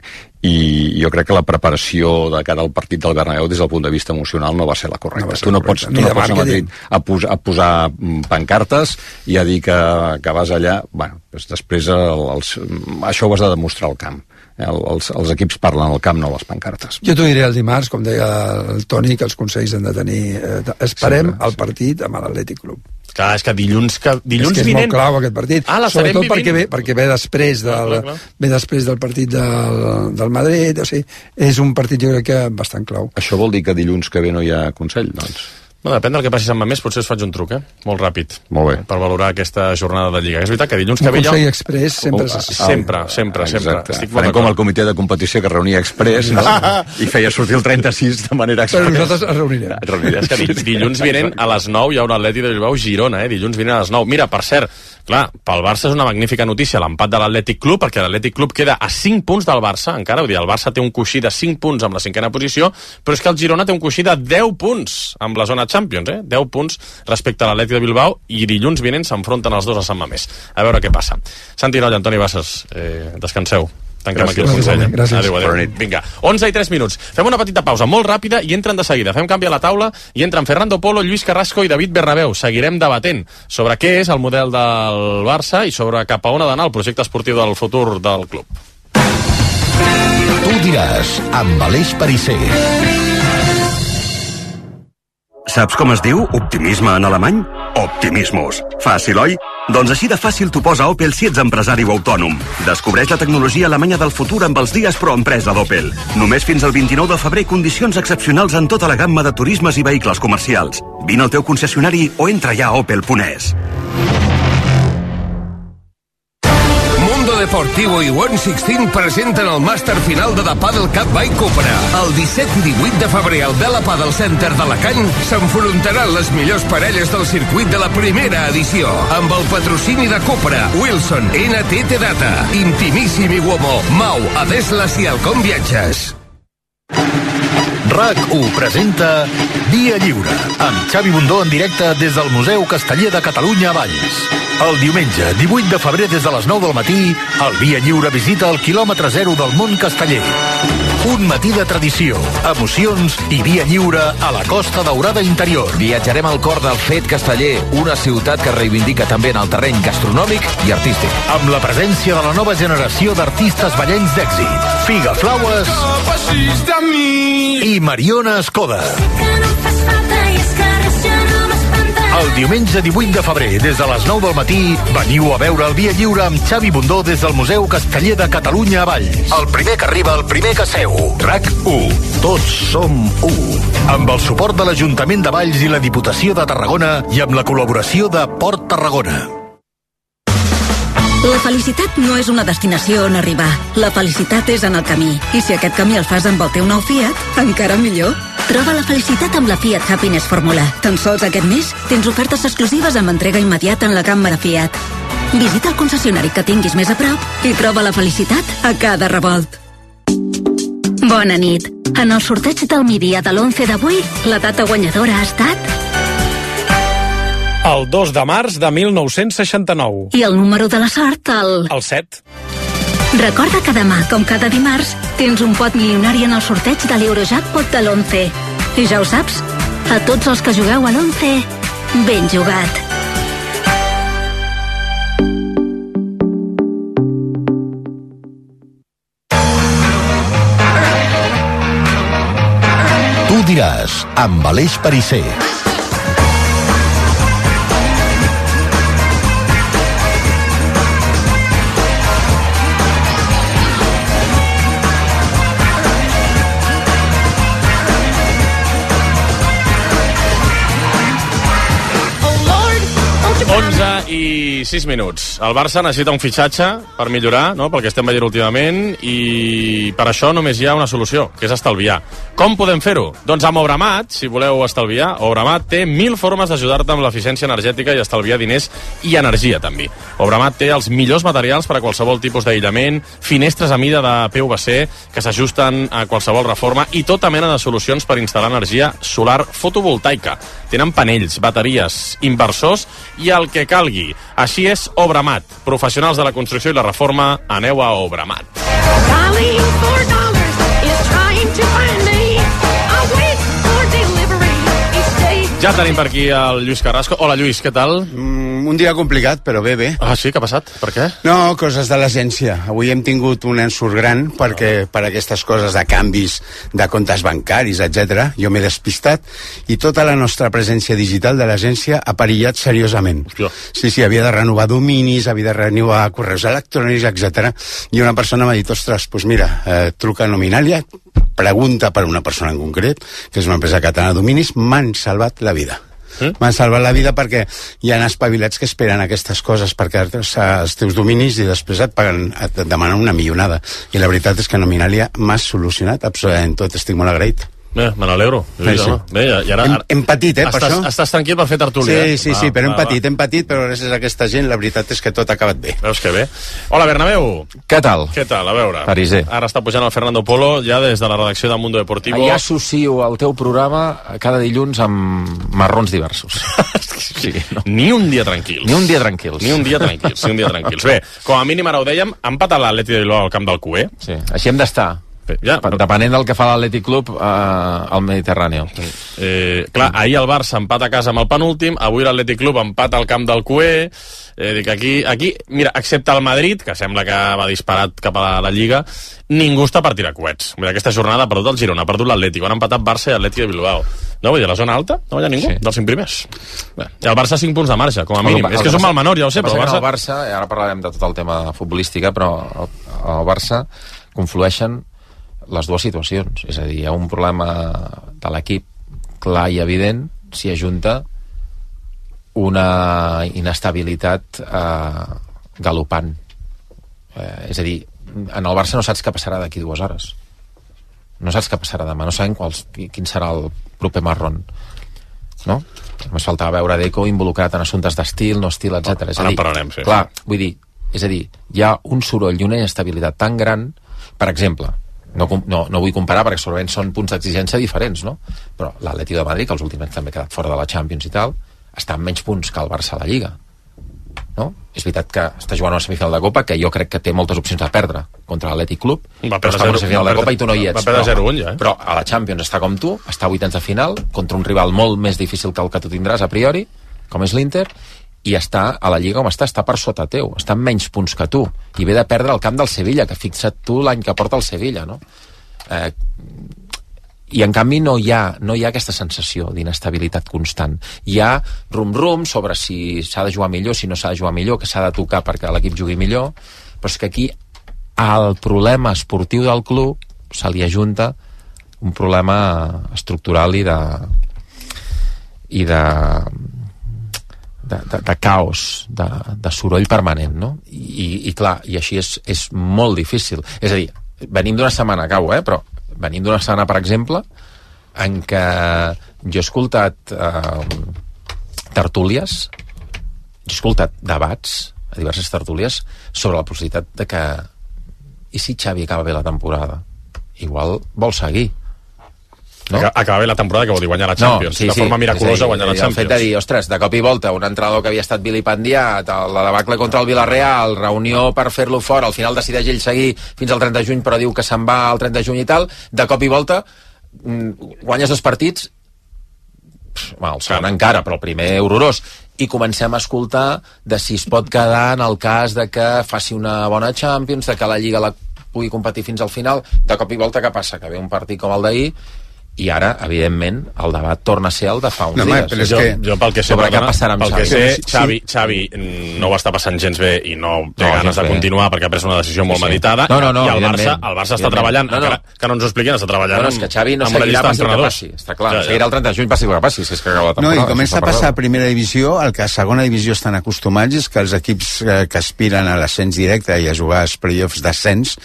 i jo crec que la preparació de cara al partit del Bernabéu des del punt de vista emocional no va ser la correcta. Tu no pots anar a Madrid a posar pancartes i a dir que vas allà. Bueno, després això ho has de demostrar al camp. Els equips parlen al camp, no les pancartes. Jo t'ho diré el dimarts, com deia el Toni, que els consells han de tenir... Esperem el partit amb l'Atlètic Club. Clar, és que dilluns vinent... És molt clau aquest partit. Sobretot perquè ve després del partit del Madrid. O sigui, és un partit, jo crec que bastant clau. Això vol dir que dilluns que ve no hi ha Consell, doncs? No, depèn del que passi amb Mamés, potser us faig un truc, molt ràpid. Molt bé. Per valorar aquesta jornada de Lliga. És veritat que dilluns que ve... Un Consell Express sempre. Estic farem com el comitè de competició que reunia Express, no? I feia sortir el 36 de manera Express. Però nosaltres es reunirem. És que dilluns vinent a les 9 hi ha un Atlètic de Bilbao Girona, dilluns vinent a les 9. Mira, per cert, clar, pel Barça és una magnífica notícia l'empat de l'Atlètic Club, perquè l'Atlètic Club queda a 5 punts del Barça, encara, vull dir, el Barça té un coixí de 5 punts amb la 5ª posició, però és que el Girona té un coixí de 10 punts amb la zona Champions, 10 punts respecte a l'Atlètic de Bilbao, i dilluns vinent s'enfronten els dos a Sant Mamés. A veure què passa. Santi Nolla, Antoni Bassas, descanseu. Tanquem aquí el Consell. Adéu. Vinga, 11:03. Fem una petita pausa molt ràpida i entren de seguida. Fem canvi a la taula i entren Fernando Polo, Lluís Carrasco i David Bernabéu. Seguirem debatent sobre què és el model del Barça i sobre cap a on ha d'anar el projecte esportiu del futur del club. Tu diràs, amb Aleix Perisser. Saps com es diu optimisme en alemany? Optimismus. Fàcil, oi? Doncs així de fàcil t'ho posa Opel si ets empresari o autònom. Descobreix la tecnologia alemanya del futur amb els dies proempresa d'Opel. Només fins al 29 de febrer condicions excepcionals en tota la gamma de turismes i vehicles comercials. Vine al teu concessionari o entra ja a opel.es. Deportivo i One 16 presenten el màster final de The Padel Cup by Cupra. El 17 i 18 de febrer al Vela Padel Center d'Alacant s'enfrontaran les millors parelles del circuit de la primera edició. Amb el patrocini de Cupra, Wilson, NTT Data, Intimissimi Uomo, Mau, Adeslas i Alcom Viatges. RAC1 presenta Via Lliure, amb Xavi Bundó en directe des del Museu Casteller de Catalunya a Valls. El diumenge 18 de febrer des de les 9 del matí, el Via Lliure visita el quilòmetre zero del món casteller. Un matí de tradició, emocions i via lliure a la Costa Daurada interior. Viatjarem al cor del fet casteller, una ciutat que reivindica també en el terreny gastronòmic i artístic. Amb la presència de la nova generació d'artistes ballencs d'èxit, Figa Flaues i Mariona Escoda. El diumenge 18 de febrer, des de les 9 del matí, veniu a veure el Via Lliure amb Xavi Bundó des del Museu Casteller de Catalunya a Valls. El primer que arriba, el primer que seu. RAC1. Tots som u. Amb el suport de l'Ajuntament de Valls i la Diputació de Tarragona i amb la col·laboració de Port Tarragona. La felicitat no és una destinació on arribar. La felicitat és en el camí. I si aquest camí el fas amb el teu nou Fiat, encara millor. Troba la felicitat amb la Fiat Happiness Fórmula. Tan sols aquest mes tens ofertes exclusives amb entrega immediata en la gamma de Fiat. Visita el concessionari que tinguis més a prop i troba la felicitat a cada revolt. Bona nit. En el sorteig del migdia de l'11 d'avui, la data guanyadora ha estat... El 2 de març de 1969. I el número de la sort, El 7. Recorda que demà, com cada dimarts, tens un pot milionari en el sorteig de l'Eurojackpot de l'11. I ja ho saps, a tots els que jugueu a l'11, ben jugat. Tu diràs, amb Aleix Perisser. I 6 minuts. El Barça necessita un fitxatge per millorar, no?, pel que estem veient últimament, i per això només hi ha una solució, que és estalviar. Com podem fer-ho? Doncs amb Obramat, si voleu estalviar, Obramat té 1000 formes d'ajudar-te amb l'eficiència energètica i estalviar diners i energia, també. Obramat té els millors materials per a qualsevol tipus d'aïllament, finestres a mida de PVC que s'ajusten a qualsevol reforma i tota mena de solucions per instal·lar energia solar fotovoltaica. Tenen panells, bateries, inversors i el que calgui. Així és Obramat. Professionals de la construcció i la reforma, aneu a Obramat. Ja tenim per aquí el Lluís Carrasco. Hola, Lluís, què tal? Un dia complicat, però bé. Ah, sí? Què ha passat? Per què? No, coses de l'agència. Avui hem tingut un ensurt gran perquè per aquestes coses de canvis de comptes bancaris, etc. Jo m'he despistat i tota la nostra presència digital de l'agència ha perillat seriosament. Hòstia. Sí, havia de renovar dominis, havia de renovar correus electrònics, etc. I una persona m'ha dit, ostres, doncs mira, truca a Nominalia, pregunta per una persona en concret, que és una empresa catalana de dominis, m'han salvat la vida. M'han salvat la vida perquè hi ha espavilats que esperen aquestes coses per quedar-te als teus dominis i després et demanen una milionada. I la veritat és que Nominalia m'ha solucionat absolutament tot. Estic molt agraït. Bé, me n'alegro. Sí. Bé, i ara... Hem patit, per això. Estàs tranquil per fer tertúlia, Sí, però hem patit, però gràcies a aquesta gent la veritat és que tot ha acabat bé. Veus que bé. Hola, Bernabéu. Què tal? A veure. Perisser. Ara està pujant el Fernando Polo, ja des de la redacció de Mundo Deportivo. Ja associo el teu programa cada dilluns amb marrons diversos. Sí, no. Ni un dia tranquils. Ni un dia tranquils. Bé, com a mínim ara ho dèiem, ha empatat l'Atlètic de Bilbao al camp del QE. Sí, així hem d'estar. Ja, depenent del que fa l'Atlètic Club al Mediterrani. Clar, ahir el Barça empat a casa amb el penúltim, avui l'Atlètic Club empat al camp del QE. Dic, aquí, mira, excepte el Madrid, que sembla que va disparat cap a la Lliga, ningú està per tirar coets. Mira, aquesta jornada ha perdut el Girona, ha perdut l'Atlètic, han empatat Barça i Atlètic de Bilbao. No, vull dir, a la zona alta no hi ha ningú, dels 5 primers. Bé, i el Barça 5 punts de marge, com a mínim. És que és un mal menor, ja ho sé, però el Barça, ara parlarem de tot el tema futbolística, però el Barça conflueixen les dues situacions, és a dir, hi ha un problema de l'equip clar i evident, s'hi ajunta una inestabilitat galopant, és a dir, en el Barça no saps què passarà d'aquí 2 hores, no saps què passarà demà, no sabem quin serà el proper marron, no? Només faltava veure Deco involucrat en assumptes d'estil, no estil, etc. Ara en parlarem, sí. Clar, vull dir, és a dir, hi ha un soroll i una inestabilitat tan gran, per exemple, No vull comparar perquè segurament són punts d'exigència diferents, no? Però l'Atlètico de Madrid, que els últims anys també ha quedat fora de la Champions i tal, està amb menys punts que el Barça a la Lliga, no? És veritat que està jugant una semifinal de Copa que jo crec que té moltes opcions de perdre contra l'Atlètic Club, però està en una semifinal de Copa i tu no hi ets. Va perdre 0-1 ja, però a la Champions està com tu, està a vuitens de final contra un rival molt més difícil que el que tu tindràs a priori, com és l'Inter, i està a la Lliga com està per sota teu, està amb menys punts que tu, i ve de perdre el camp del Sevilla, que fixa't tu l'any que porta el Sevilla, no? I en canvi no hi ha aquesta sensació d'inestabilitat constant. Hi ha rum-rum sobre si s'ha de jugar millor, si no s'ha de jugar millor, que s'ha de tocar perquè l'equip jugui millor, però és que aquí al problema esportiu del club se li ajunta un problema estructural i de caos, de soroll permanent, no? I clar, i així és molt difícil. És a dir, venim d'una setmana, acabo, però venim d'una setmana, per exemple, en què jo he escoltat tertúlies, he escoltat debats a diverses tertúlies sobre la possibilitat de que i si Xavi acaba bé la temporada? Igual vol seguir, no? Acaba bé la temporada, que vol dir guanyar la Champions, de forma miraculosa guanyar la Champions. El fet de dir, ostres, de cop i volta un entrenador que havia estat vilipendiat, la debacle contra el Villarreal, reunió per fer-lo fora, al final decideix ell seguir fins al 30 de juny però diu que se'n va al 30 de juny i tal, de cop i volta guanyes 2 partits, el segon encara, però el primer horrorós, i comencem a escoltar de si es pot quedar en el cas de que faci una bona Champions, de que la Lliga la pugui competir fins al final. De cop i volta què passa? Que ve un partit com el d'ahir i ara, evidentment, el debat torna a ser el de fa uns dies. Però jo pel que sé, sobre què passarà amb Xavi. Xavi no ho està passant gens bé i no té ganes de continuar perquè ha pres una decisió molt meditada, i el Barça està treballant, que no ens ho expliquin, està treballant és que Xavi no seguirà passi el que passi, està clar, seguirà el 30 de juny passi el que passi, si és que acaba la temporada. No, i comença a passar a primera divisió, el que a segona divisió estan acostumats és que els equips que aspiren a l'ascens directe i a jugar als play-offs d'ascens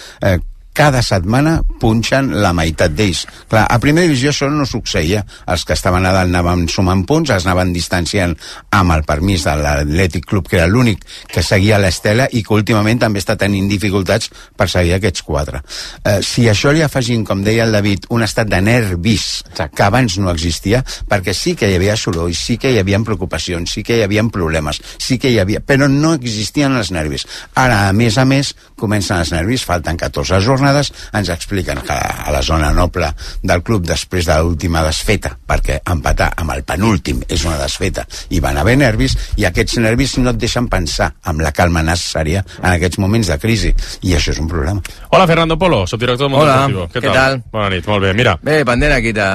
cada setmana punxen la meitat d'ells. Clar, a primera divisió això no succeïa. Els que estaven a dalt anaven sumant punts, es anaven distanciant amb el permís de l'Atlètic Club, que era l'únic que seguia l'estela i que últimament també està tenint dificultats per seguir aquests 4. Si això li afegim, com deia el David, un estat de nervis que abans no existia, perquè sí que hi havia soroll, sí que hi havia preocupacions, sí que hi havia problemes, sí que hi havia, però no existien els nervis. Ara, a més, comencen els nervis, falten 14 jornades, ens expliquen que a la zona noble del club, després de l'última desfeta, perquè empatar amb el penúltim és una desfeta, i van haver nervis, i aquests nervis no et deixen pensar amb la calma necessària en aquests moments de crisi, i això és un problema. Hola, Fernando Polo, subdirector del Mundo Deportivo. ¿Qué tal? Bona nit, molt bé, mira. Bé, pendent aquí de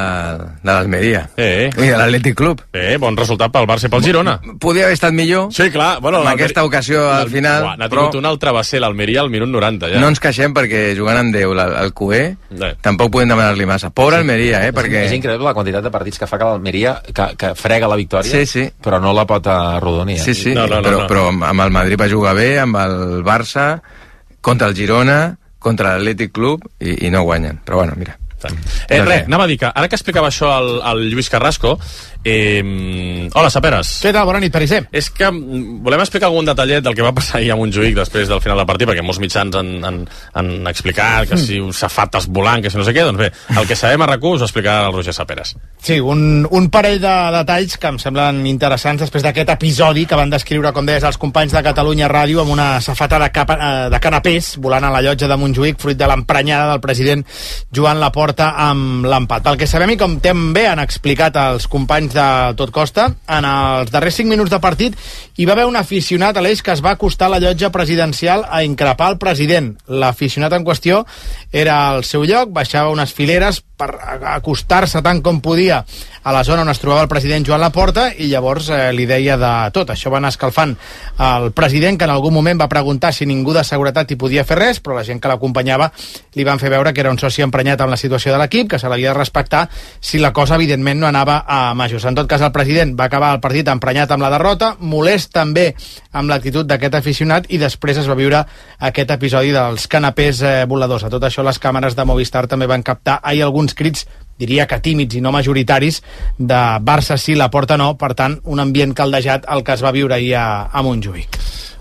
l'Almeria. I de l'Atlètic Club. Bon resultat pel Barça i pel Girona. Podia haver estat millor. Sí, clar. Bueno, en aquesta ocasió, al final. N'ha tingut un altre travesser, l'Almeria, al minut 90, ja. No ens queixem perquè jugant amb Déu, el Cué, tampoc podem demanar-li massa. Pobre Almeria, perquè... És increïble la quantitat de partits que fa que l'Almeria, que frega la victòria, però no la pot arrodonir. Sí, però amb el Madrid va jugar bé, amb el Barça, contra el Girona, contra l'Atlètic Club, i no guanyen. Però bueno, mira. Anava a dir que ara que explicava això al Lluís Carrasco, hola, Saperes. Què tal? Bona nit, Pariser. És que volem explicar algun detallet del que va passar ahir a Montjuïc després del final del partit, perquè molts mitjans han explicat que si safates volant, que si no sé què. Doncs bé, el que sabem a RAC1 us ho explicarà el Roger Saperes. Sí, un parell de detalls que em semblen interessants després d'aquest episodi que van descriure, com deies, els companys de Catalunya Ràdio amb una safata de canapés volant a la llotja de Montjuïc fruit de l'emprenyada del president Joan Laporta amb l'empat. Pel que sabem i com també han explicat els companys de Tot Costa, en els darrers 5 minuts de partit hi va haver un aficionat a l'Eix que es va acostar a la llotja presidencial a increpar el president. L'aficionat en qüestió era al seu lloc, baixava unes fileres per acostar-se tant com podia a la zona on es trobava el president Joan Laporta i llavors li deia de tot. Això va anar escalfant el president, que en algun moment va preguntar si ningú de seguretat hi podia fer res, però la gent que l'acompanyava li van fer veure que era un soci emprenyat amb la situació de l'equip, que se l'havia de respectar si la cosa evidentment no anava a majors. En tot cas, el president va acabar el partit emprenyat amb la derrota, molest també amb l'actitud d'aquest aficionat, i després es va viure aquest episodi dels canapés voladors. A tot això, les càmeres de Movistar també van captar ahir alguns crits, diria que tímids i no majoritaris, de Barça sí, Laporta no. Per tant, un ambient caldejat el que es va viure ahir a Montjuïc.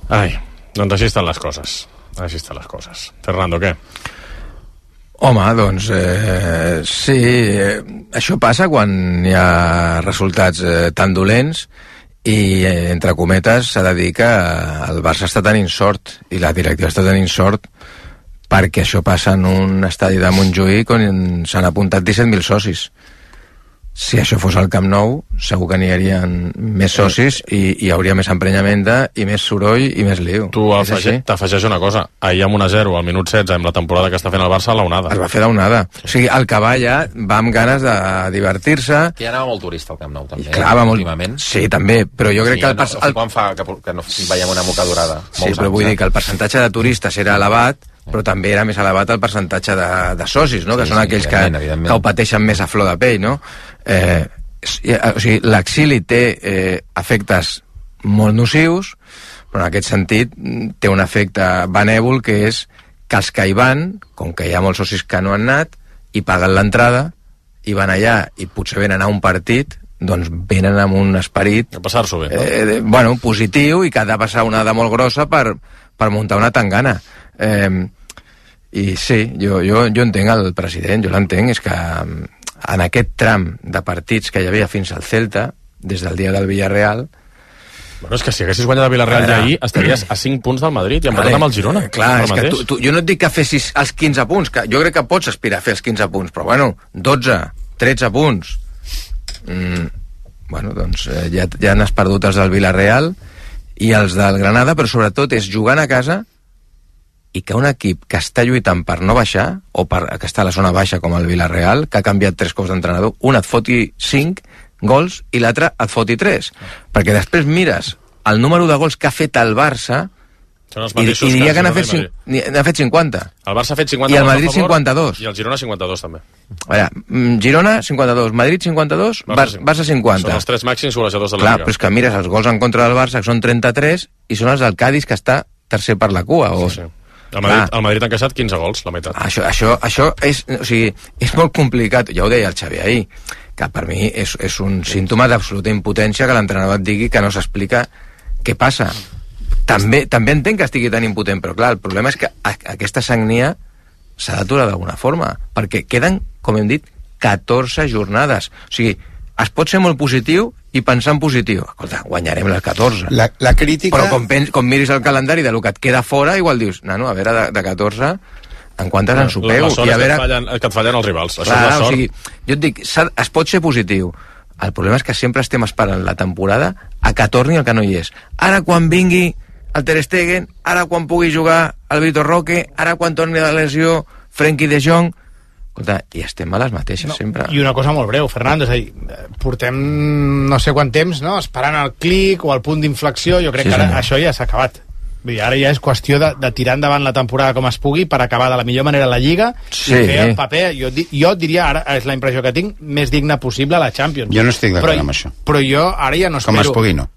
Ai, doncs així estan les coses. Així estan les coses. Fernando, què? Home, doncs sí, això passa quan hi ha resultats tan dolents i, entre cometes, s'ha de dir que el Barça està tenint sort i la directiva està tenint sort perquè això passa en un estadi de Montjuïc on s'han apuntat 17.000 socis. Si això fos al Camp Nou, segur que n'hi haurien més socis i hi hauria més emprenyamenta i més soroll i més liu. Tu t'afegeix una cosa. Ahir amb 1-0 al minut 16, amb la temporada que està fent el Barça, a la onada. Es va fer l'onada. O sigui, el que va allà va amb ganes de divertir-se. Que ja anava molt turista al Camp Nou, també. Clar, últimament. Sí, també, però jo crec que... Quan fa que no veiem una mocadurada. Sí, però vull dir que el percentatge de turistes era elevat, però també era més elevat el percentatge de socis, no? Que són aquells que ho pateixen més a flor de pell, no? O sigui, l'exili té efectes molt nocius, però en aquest sentit té un efecte benèvol, que és que els que hi van, com que hi ha molts socis que no han anat i paguen l'entrada i van allà i potser venen a un partit, doncs venen amb un esperit passar-s'ho bé, no? Positiu, i que ha de passar una de molt grossa per muntar una tangana. I sí, jo entenc el president, jo l'entenc, és que en aquest tram de partits que hi havia fins al Celta, des del dia del Villarreal... Bueno, és que si haguessis guanyat el Villarreal ahir, estaries a 5 punts del Madrid i empatat amb el Girona. Clar, és que jo no et dic que fessis els 15 punts, que jo crec que pots aspirar a fer els 15 punts, però bueno, 12, 13 punts... Bueno, doncs ja n'has perdut els del Villarreal i els del Granada, però sobretot és jugant a casa i que un equip que està lluitant per no baixar, o que està a la zona baixa com el Villarreal, que ha canviat 3 cops d'entrenador, un et foti 5 gols i l'altre et foti 3. Perquè després mires el número de gols que ha fet el Barça i diria que n'ha fet 50. El Barça ha fet 50 i el Madrid 52. I el Girona 52 també. Girona 52, Madrid 52, Barça 50. Són els 3 màxims golejadors de la Clar, Lliga. però és que mires els gols en contra del Barça, que són 33, i són els del Cádiz, que està tercer per la cua. Sí. El Madrid ha encaixat 15 gols, la meitat. Això és, o sigui, és molt complicat. Ja ho deia el Xavi ahir, que per mi és un símptoma d'absoluta impotència que l'entrenador et digui que no s'explica què passa. També entenc que estigui tan impotent, però clar, el problema és que aquesta sagnia s'ha d'aturar d'alguna forma, perquè queden, com hem dit, 14 jornades. O sigui, es pot ser molt positiu i pensar en positiu. Escolta, guanyarem les 14. La crítica... Però com miris el calendari del que et queda fora, igual dius, nano, a veure, de 14, en quantes en supeu? La sort és que et fallen els rivals. Això clar, és la sort. O sigui, jo et dic, es pot ser positiu. El problema és que sempre estem esperant la temporada a que torni el que no hi és. Ara, quan vingui el Ter Stegen, ara quan pugui jugar el Vitor Roque, ara quan torni de lesió Frenkie de Jong... Escolta, i estem a les mateixes, sempre. I una cosa molt breu, Fernando, és a dir, portem no sé quant temps, no?, esperant el clic o el punt d'inflexió. Jo crec que ara això ja s'ha acabat. Vull dir, ara ja és qüestió de tirar endavant la temporada com es pugui per acabar de la millor manera la Lliga i fer el paper, jo diria, ara és la impressió que tinc, més digne possible a la Champions. Jo no estic d'acord amb això. Però jo ara ja no espero... Com es pugui, no.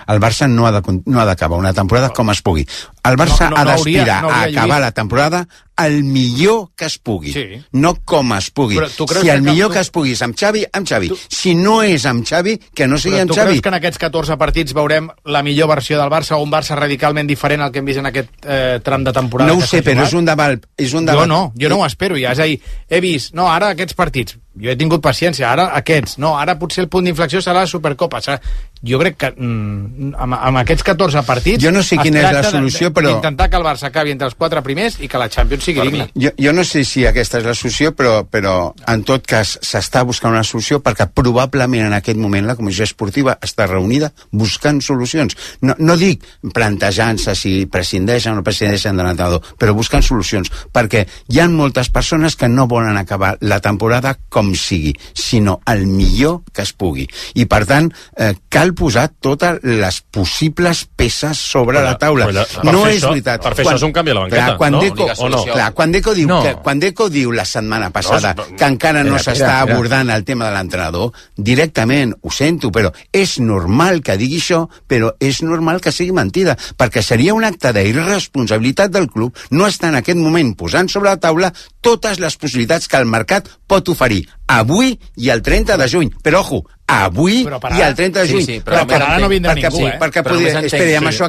El Barça no ha d'acabar una temporada com es pugui. El Barça ha d'aspirar a acabar la temporada el millor que es pugui, no com es pugui. Si el millor que es pugui és amb Xavi, amb Xavi. Si no és amb Xavi, que no sigui amb Xavi. Tu creus que en aquests 14 partits veurem la millor versió del Barça o un Barça radicalment diferent al que hem vist en aquest tram de temporada? No ho sé, però és un debat. Jo no ho espero ja. És a dir, he vist, no, ara aquests partits, jo he tingut paciència, ara aquests, no, ara potser el punt d'inflexió serà la Supercopa. Jo crec que amb aquests 14 partits... Jo no sé quina és la solució, però... Intentar que el Barça acabi entre els 4 primers i que la Champions sigui digna. Jo no sé si aquesta és la solució, però en tot cas s'està buscant una solució perquè probablement en aquest moment la Comissió Esportiva està reunida buscant solucions. No dic plantejant-se si prescindeixen o no prescindeixen de l'entrenador, però buscant solucions, perquè hi ha moltes persones que no volen acabar la temporada com sigui, sinó el millor que es pugui. I per tant, cal posar totes les possibles peces sobre la taula. No és veritat. Per fer això és un canvi a la banqueta, Quan Deco diu la setmana passada que encara no s'està abordant el tema de l'entrenador, directament, ho sento, però és normal que digui això, però és normal que sigui mentida, perquè seria un acte d'irresponsabilitat del club no estar en aquest moment posant sobre la taula totes les possibilitats que el mercat pot oferir avui i el 30 de juny. Però, ojo, avui i el 30 de juny. Sí, però ara no vindrà ningú, Perquè espera, amb això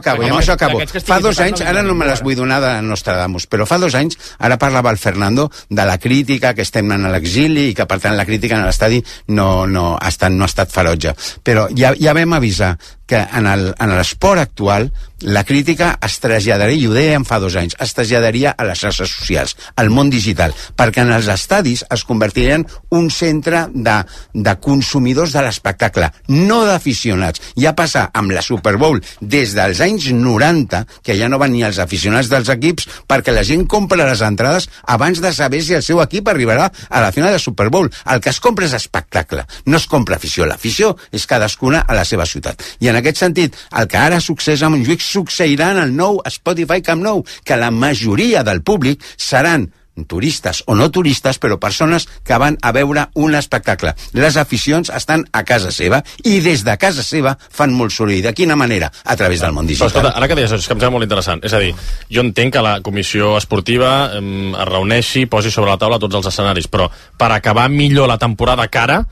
acabo. Fa 2 anys, ara no me les vull donar de Nostradamus, però fa 2 anys, ara parlava el Fernando de la crítica, que estem en l'exili i que, per tant, la crítica en l'estadi no ha estat ferotge. Però ja vam avisar que en l'esport actual la crítica es traslladaria, i ho dèiem fa 2 anys, es traslladaria a les xarxes socials, al món digital, perquè en els estadis es convertirien un centre de consumidors de l'espectacle, no d'aficionats. Ja passa amb la Super Bowl des dels anys 90, que ja no van ni els aficionats dels equips, perquè la gent compra les entrades abans de saber si el seu equip arribarà a la final de Super Bowl. El que es compra és espectacle, no es compra afició. L'afició és cadascuna a la seva ciutat. I en aquest sentit, el que ara succeeix a Montjuïc succeirà en el nou Spotify Camp Nou, que la majoria del públic seran turistes o no turistes, però persones que van a veure un espectacle. Les aficions estan a casa seva i des de casa seva fan molt soroll. De quina manera? A través del món digital. Però, escolta, ara que deies això, és que em sembla molt interessant. És a dir, jo entenc que la comissió esportiva es reuneixi, posi sobre la taula tots els escenaris, però per acabar millor la temporada que ara,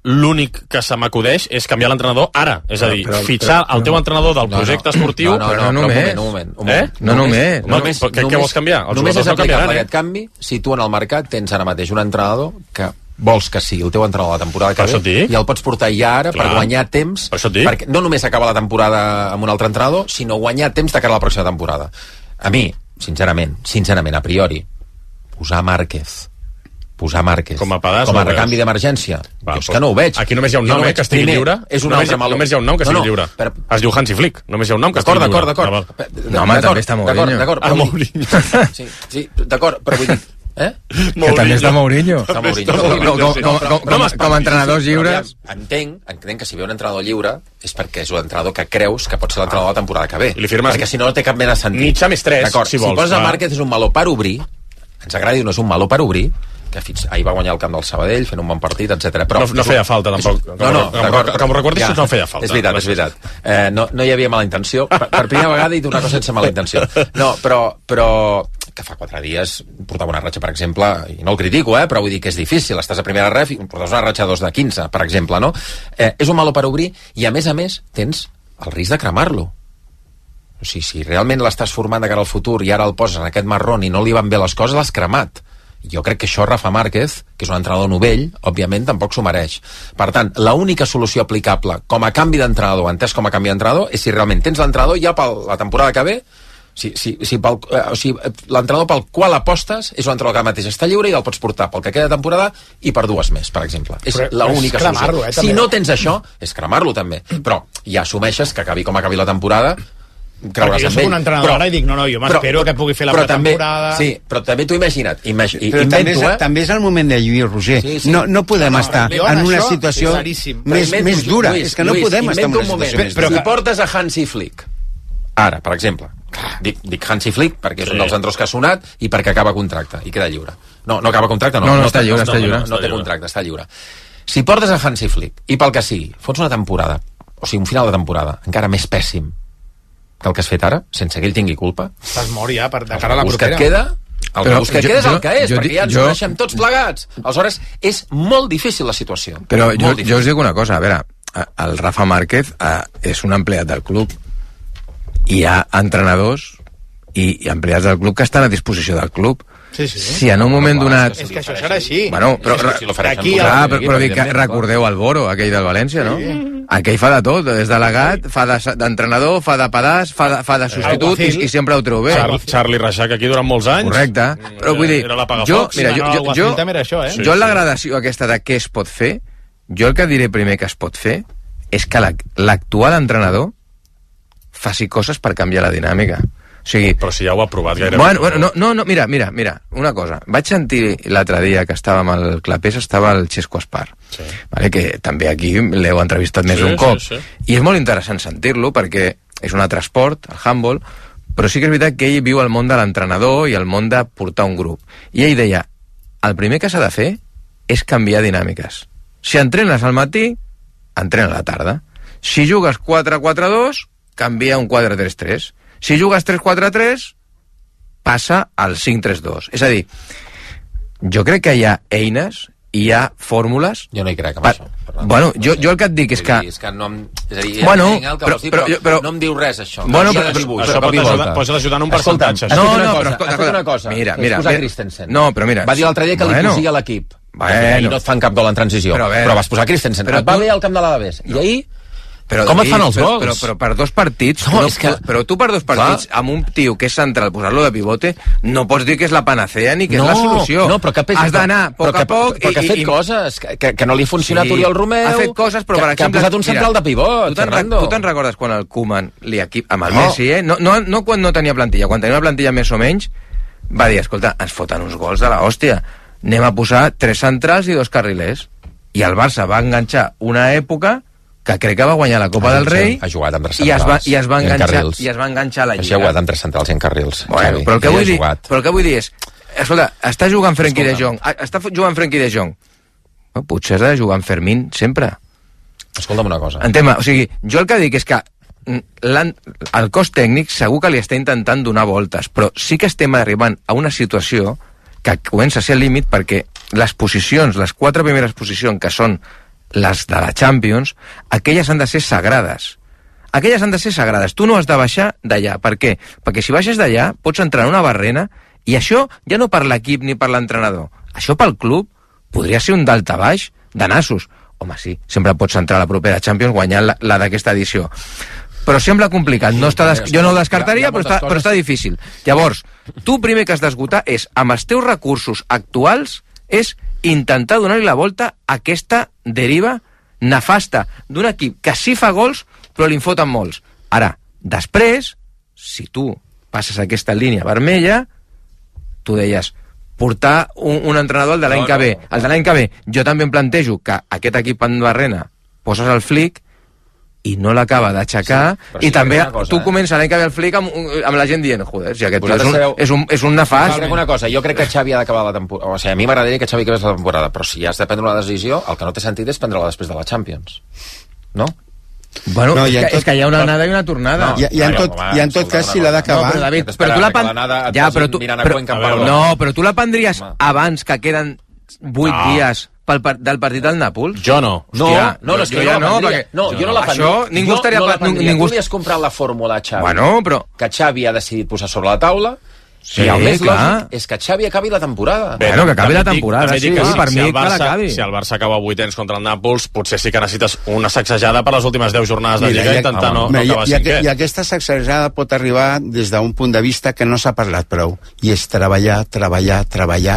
l'únic que se m'acudeix és canviar l'entrenador ara. És a dir, fitxar el teu entrenador del projecte esportiu... Un moment. No només. Què vols canviar? Només és aplicable aquest canvi si tu en el mercat tens ara mateix un entrenador que vols que sigui el teu entrenador la temporada que ve i el pots portar ja ara per guanyar temps, perquè no només acaba la temporada amb un altre entrenador, sinó guanyar temps de cara a la pròxima temporada. A mi, sincerament, a priori, posar Márquez com a recanvi d'emergència, jo és que no ho veig. Aquí només hi ha un nom que estigui lliure. Només hi ha un nom que estigui lliure. Es diu Hansi Flick. Només hi ha un nom que estigui lliure. D'acord. No, home, també està Mourinho. D'acord. Sí, d'acord, però vull dir... Que també està Mourinho. Com a entrenadors lliures. Entenc que si ve un entrenador lliure és perquè és un entrenador que creus que pot ser l'entrenador de la temporada que ve. I li firmes... Perquè si no té cap mena de sentit. Mitja més 3, si vols. Si poses a Márquez és un meló per obrir, ens agradi o no és un meló per obrir, que ahir va guanyar el camp del Sabadell fent un bon partit, etc. No feia falta, tampoc. Com recordis, no feia falta. És veritat. No hi havia mala intenció. Per primera vegada he dit una cosa sense mala intenció. No, però que fa 4 dies portava una ratxa, per exemple, i no el critico, però vull dir que és difícil, estàs a primera ref i portes una ratxa 2 de 15, per exemple, no? És un malo per obrir i, a més, tens el risc de cremar-lo. O sigui, si realment l'estàs formant de cara al futur i ara el poses en aquest marrón i no li van bé les coses, l'has cremat. Jo crec que això Rafa Márquez, que és un entrenador novell, òbviament tampoc s'ho mereix. Per tant, l'única solució aplicable com a canvi d'entrenador, entès com a canvi d'entrenador, és si realment tens l'entrenador ja per la temporada que ve, l'entrenador pel qual apostes és un entrenador que mateix està lliure i el pots portar pel que queda de temporada i per 2 més, per exemple. És l'única solució. Si no tens això, és cremar-lo també. Però ja assumeixes que acabi com acabi la temporada, creure's amb ell. Jo soc un entrenador ara i dic, no, jo m'espero que pugui fer la pretemporada. Sí, però també t'ho imagina't. També és el moment de lluir, Roger. No podem estar en una situació més dura. És que no podem estar en una situació més dura. Si portes a Hansi Flick, ara, per exemple, dic Hansi Flick perquè és un dels entrenadors que ha sonat i perquè acaba contracte i queda lliure. No acaba contracte, no està lliure. No té contracte, està lliure. Si portes a Hansi Flick i pel que sigui, fots una temporada, o sigui, un final de temporada encara més pèssim que el que has fet ara, sense que ell tingui culpa. Estàs mort ja de cara a la propera. El que queda és el que és, perquè ja ens coneixem tots plegats. Aleshores, és molt difícil la situació. Però jo us dic una cosa, a veure, el Rafa Márquez és un empleat del club. Hi ha entrenadors i empleats del club que estan a disposició del club. Sí. Si en un moment donat... És que això serà així. Bueno, però recordeu el Boro, aquell del València, no? Aquell fa de tot, és delegat, fa d'entrenador, fa de pedaç, fa de substitut i sempre ho treu bé. Charlie Reixac aquí durant molts anys. Correcte. Però vull dir, jo en la gradació aquesta de què es pot fer, jo el que diré primer que es pot fer és que l'actual entrenador faci coses per canviar la dinàmica. O sigui, però si ja ho ha provat gairebé. Bueno, no, mira, una cosa. Vaig sentir l'altre dia que estàvem al Clapés, estava el Xesco Espar, vale, que també aquí l'heu entrevistat més un cop. I és molt interessant sentir-lo perquè és un altre esport, el handball, però sí que és veritat que ell viu el món de l'entrenador i el món de portar un grup. I ell deia, el primer que s'ha de fer és canviar dinàmiques. Si entrenes al matí, entrena a la tarda. Si jugues 4-4-2, canvia un 4-3-3. Si jugues 3-4-3, passa al 5-3-2. És a dir, jo crec que hi ha eines, hi ha fórmules... Jo no hi crec, amb això. Bueno, jo el que et dic és que... És que no... És a dir, bueno, el que vols dir, però no em diu res, això. Bueno, això pot ajudar en un percentatge. No, però has fet una cosa. Mira, Christensen. No, però mira... Va dir l'altre dia que li cosia l'equip. I no et fan cap gol en transició. Però vas posar Christensen. Et va bé al camp de l'Alavés. I ahir... Com et fan els gols? Però per dos partits... Però tu per dos partits, amb un tio que és central, posar-lo de pivote, no pots dir que és la panacea ni que és la solució. No, però has d'anar a poc a poc... Però que ha fet coses, que no li ha funcionat Oriol Romeu... Ha fet coses, però per exemple... Que ha posat un central de pivot, Fernando. Tu te'n recordes quan el Koeman amb el Messi, no quan no tenia plantilla, quan tenia una plantilla més o menys, va dir, escolta, ens foten uns gols de l'hòstia, anem a posar 3 centrals i 2 carrilers. I el Barça va enganxar una època que crec que va guanyar la Copa del Rei ha jugat amb 3 centrals i es va enganxar a la Lliga. Això ha jugat amb 3 centrals i en carrils. Bueno, però el que vull dir és, escolta, està jugant Frenkie de Jong, potser has de jugar amb Fermín sempre. Escolta'm una cosa. O sigui, jo el que dic és que el cos tècnic segur que li està intentant donar voltes, però sí que estem arribant a una situació que comença a ser al límit, perquè les posicions, les 4 primeres posicions, que són les de la Champions, aquelles han de ser sagrades. Tu no has de baixar d'allà. Per què? Perquè si baixes d'allà pots entrar en una barrena, i això ja no per l'equip ni per l'entrenador. Això pel club podria ser un daltabaix de nassos. Home, sí, sempre pots entrar a la propera Champions guanyant la d'aquesta edició. Però sembla complicat. Jo no ho descartaria, però està difícil. Llavors, tu primer que has d'esgotar és, amb els teus recursos actuals, és intentar donar-li la volta a aquesta deriva nefasta d'un equip que sí fa gols, però li en foten molts. Ara, després, si tu passes aquesta línia vermella, tu deies, portar un entrenador al de l'any que ve. El de l'any que ve, jo també em plantejo que aquest equip en barrena poses el Flick i no l'acaba d'aixecar, i també tu comences l'any que ve el Flick amb la gent dient, joder, si aquest és un nefast. Crec una cosa, jo crec que Xavi ha d'acabar la temporada, o sigui, a mi m'agradaria que Xavi acabés la temporada, però si has de prendre una decisió, el que no té sentit és prendre-la després de la Champions, no? Bueno, és que hi ha una anada i una tornada. I en tot cas, si l'ha d'acabar... Però tu la prendries abans que queden 8 dies del partit del Nàpols? Jo no. Jo no la prendria. Ningú li has comprat la fórmula a Xavi, que Xavi ha decidit posar sobre la taula. Sí, el més lògic és que Xavi acabi la temporada. Bueno, que acabi la temporada, sí, per mi que l'acabi. Si el Barça acaba 8ens contra el Nàpols, potser sí que necessites una sacsejada per les últimes 10 jornades de Lliga i intentar no acabar cinquè. I aquesta sacsejada pot arribar des d'un punt de vista que no s'ha parlat prou, i és treballar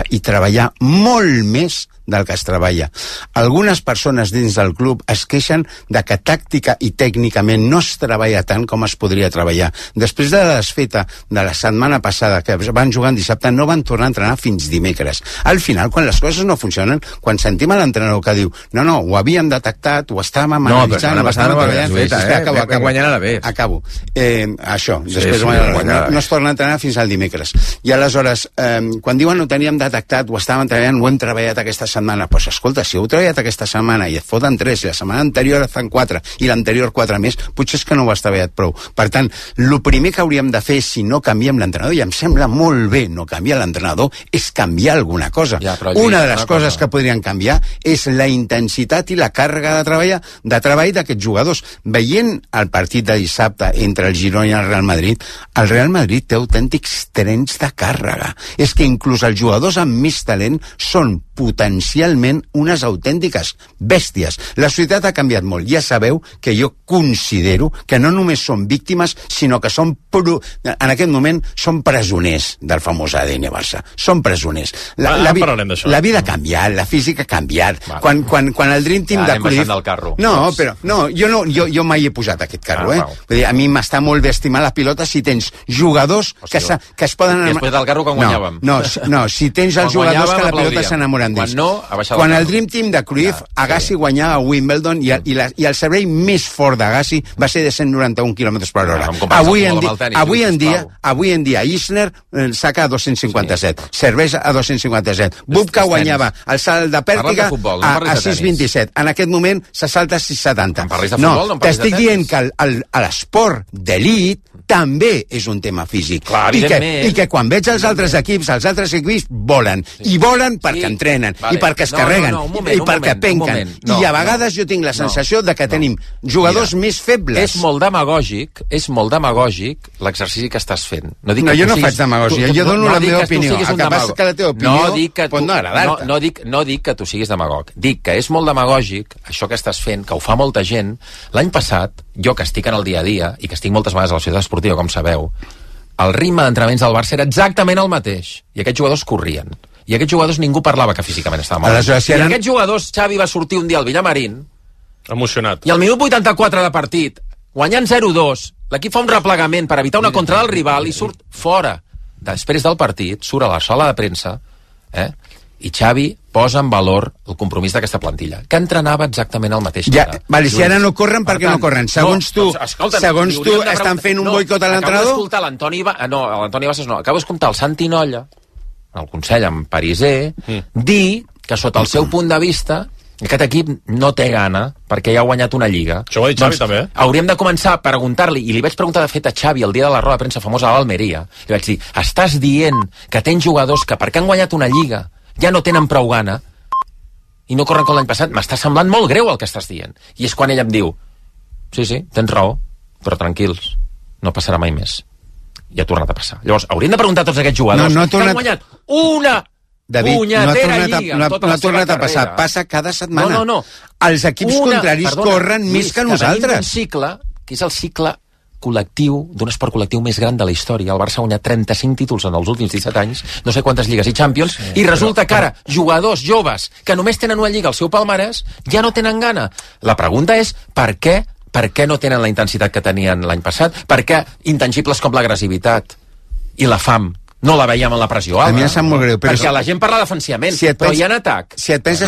i treballar molt més del que es treballa. Algunes persones dins del club es queixen de que tàctica i tècnicament no es treballa tant com es podria treballar. Després de la desfeta de la setmana passada, que van jugar en dissabte, no van tornar a entrenar fins dimecres. Al final, quan les coses no funcionen, quan sentim a l'entrenador que diu no, ho havíem detectat, ho estàvem analitzant, ho estàvem treballant... Acabo. Això, després no es torna a entrenar fins al dimecres. I aleshores, quan diuen ho teníem detectat, ho estàvem treballant, ho hem treballat aquesta setmana, doncs escolta, si heu treballat aquesta setmana i et foten 3, i la setmana anterior et fan 4 i l'anterior 4 més, potser és que no ho has treballat prou. Per tant, el primer que hauríem de fer si no canviem l'entrenador, i em sembla molt bé no canviar l'entrenador, és canviar alguna cosa. Una de les coses que podrien canviar és la intensitat i la càrrega de treball d'aquests jugadors. Veient el partit de dissabte entre el Girona i el Real Madrid té autèntics trens de càrrega. És que inclús els jugadors amb més talent són potencialment unes autèntiques bèsties. La societat ha canviat molt. Ja sabeu que jo considero que no només són víctimes, sinó que són en aquest moment són presoners del famós ADN Barça. Són presoners. La vida ha canviat, la física ha canviat. Quan el Dream Team de Cruyff... Jo mai he posat aquest carro, Vull dir, a mi m'està molt bé estimar la pilota si tens jugadors que es poden... Després del carro quan guanyàvem. No, si tens els jugadors que la pilota s'enamoren d'ells. Quan el Dream Team de Cruyff, Agassi guanyava a Wimbledon i el servei més fort d'Agassi va ser de 191 km/h. Avui en dia Isner saca a 257, serveix a 257. Bubka guanyava el salt de pèrtiga a 6,27. En aquest moment se salta a 6,70. No, t'estic dient que l'esport d'elit també és un tema físic. Clar, evidentment. I que quan veig els altres equips volen. I volen perquè entrenen, i perquè es carreguen, i perquè penquen. I a vegades jo tinc la sensació de que tenim jugadors més febles. És molt demagògic l'exercici que estàs fent. No, jo no faig demagògia, jo dono la meva opinió. El que passa és que la teva opinió pot no agradar-te. No dic que tu siguis demagog. Dic que és molt demagògic això que estàs fent, que ho fa molta gent. L'any passat, jo que estic en el dia a dia i que estic moltes vegades a la ciutat esportiva, com sabeu, el ritme d'entrenaments del Barça era exactament el mateix. I aquests jugadors corrien. I aquests jugadors ningú parlava que físicament estava mal. I aquests jugadors, Xavi va sortir un dia al Villamarín emocionat. I al minut 84 de partit, guanyant 0-2, l'equip fa un replegament per evitar una contra del rival i surt fora. Després del partit, surt a la sala de premsa, i Xavi posa en valor el compromís d'aquesta plantilla, que entrenava exactament el mateix. Si ara no corren, per què no corren? Segons tu, estan fent un boicot a l'entrenador? Acabo d'escoltar l'Antoni Bassas, acabo d'escoltar el Santi Nolla, el consell en Pariser, dir que sota el seu punt de vista aquest equip no té gana perquè ja ha guanyat una lliga. Això ho ha dit Xavi també. Hauríem de començar a preguntar-li, i li vaig preguntar de fet a Xavi el dia de la roda de premsa famosa a l'Almeria, li vaig dir, estàs dient que tens jugadors que perquè han guanyat una lliga ja no tenen prou gana i no corren com l'any passat? M'està semblant molt greu el que estàs dient. I és quan ell em diu, sí, tens raó, però tranquils, no passarà mai més. I ha tornat a passar. Llavors, hauríem de preguntar a tots aquests jugadors que han guanyat una punyetera lliga. No ha tornat a passar, passa cada setmana. No. Els equips contraris corren més que nosaltres. Un cicle, que és el cicle col·lectiu, d'un esport col·lectiu més gran de la història. El Barça ha guanyat 35 títols en els últims 17 anys, no sé quantes lligues i Champions, i resulta que ara jugadors joves que només tenen una lliga al seu palmarès ja no tenen gana. La pregunta és per què no tenen la intensitat que tenien l'any passat? Per què intangibles com l'agressivitat i la fam no la veiem en la pressió alta? A mi em sap molt greu. Perquè la gent parla defensivament, però hi ha en atac. Si et penses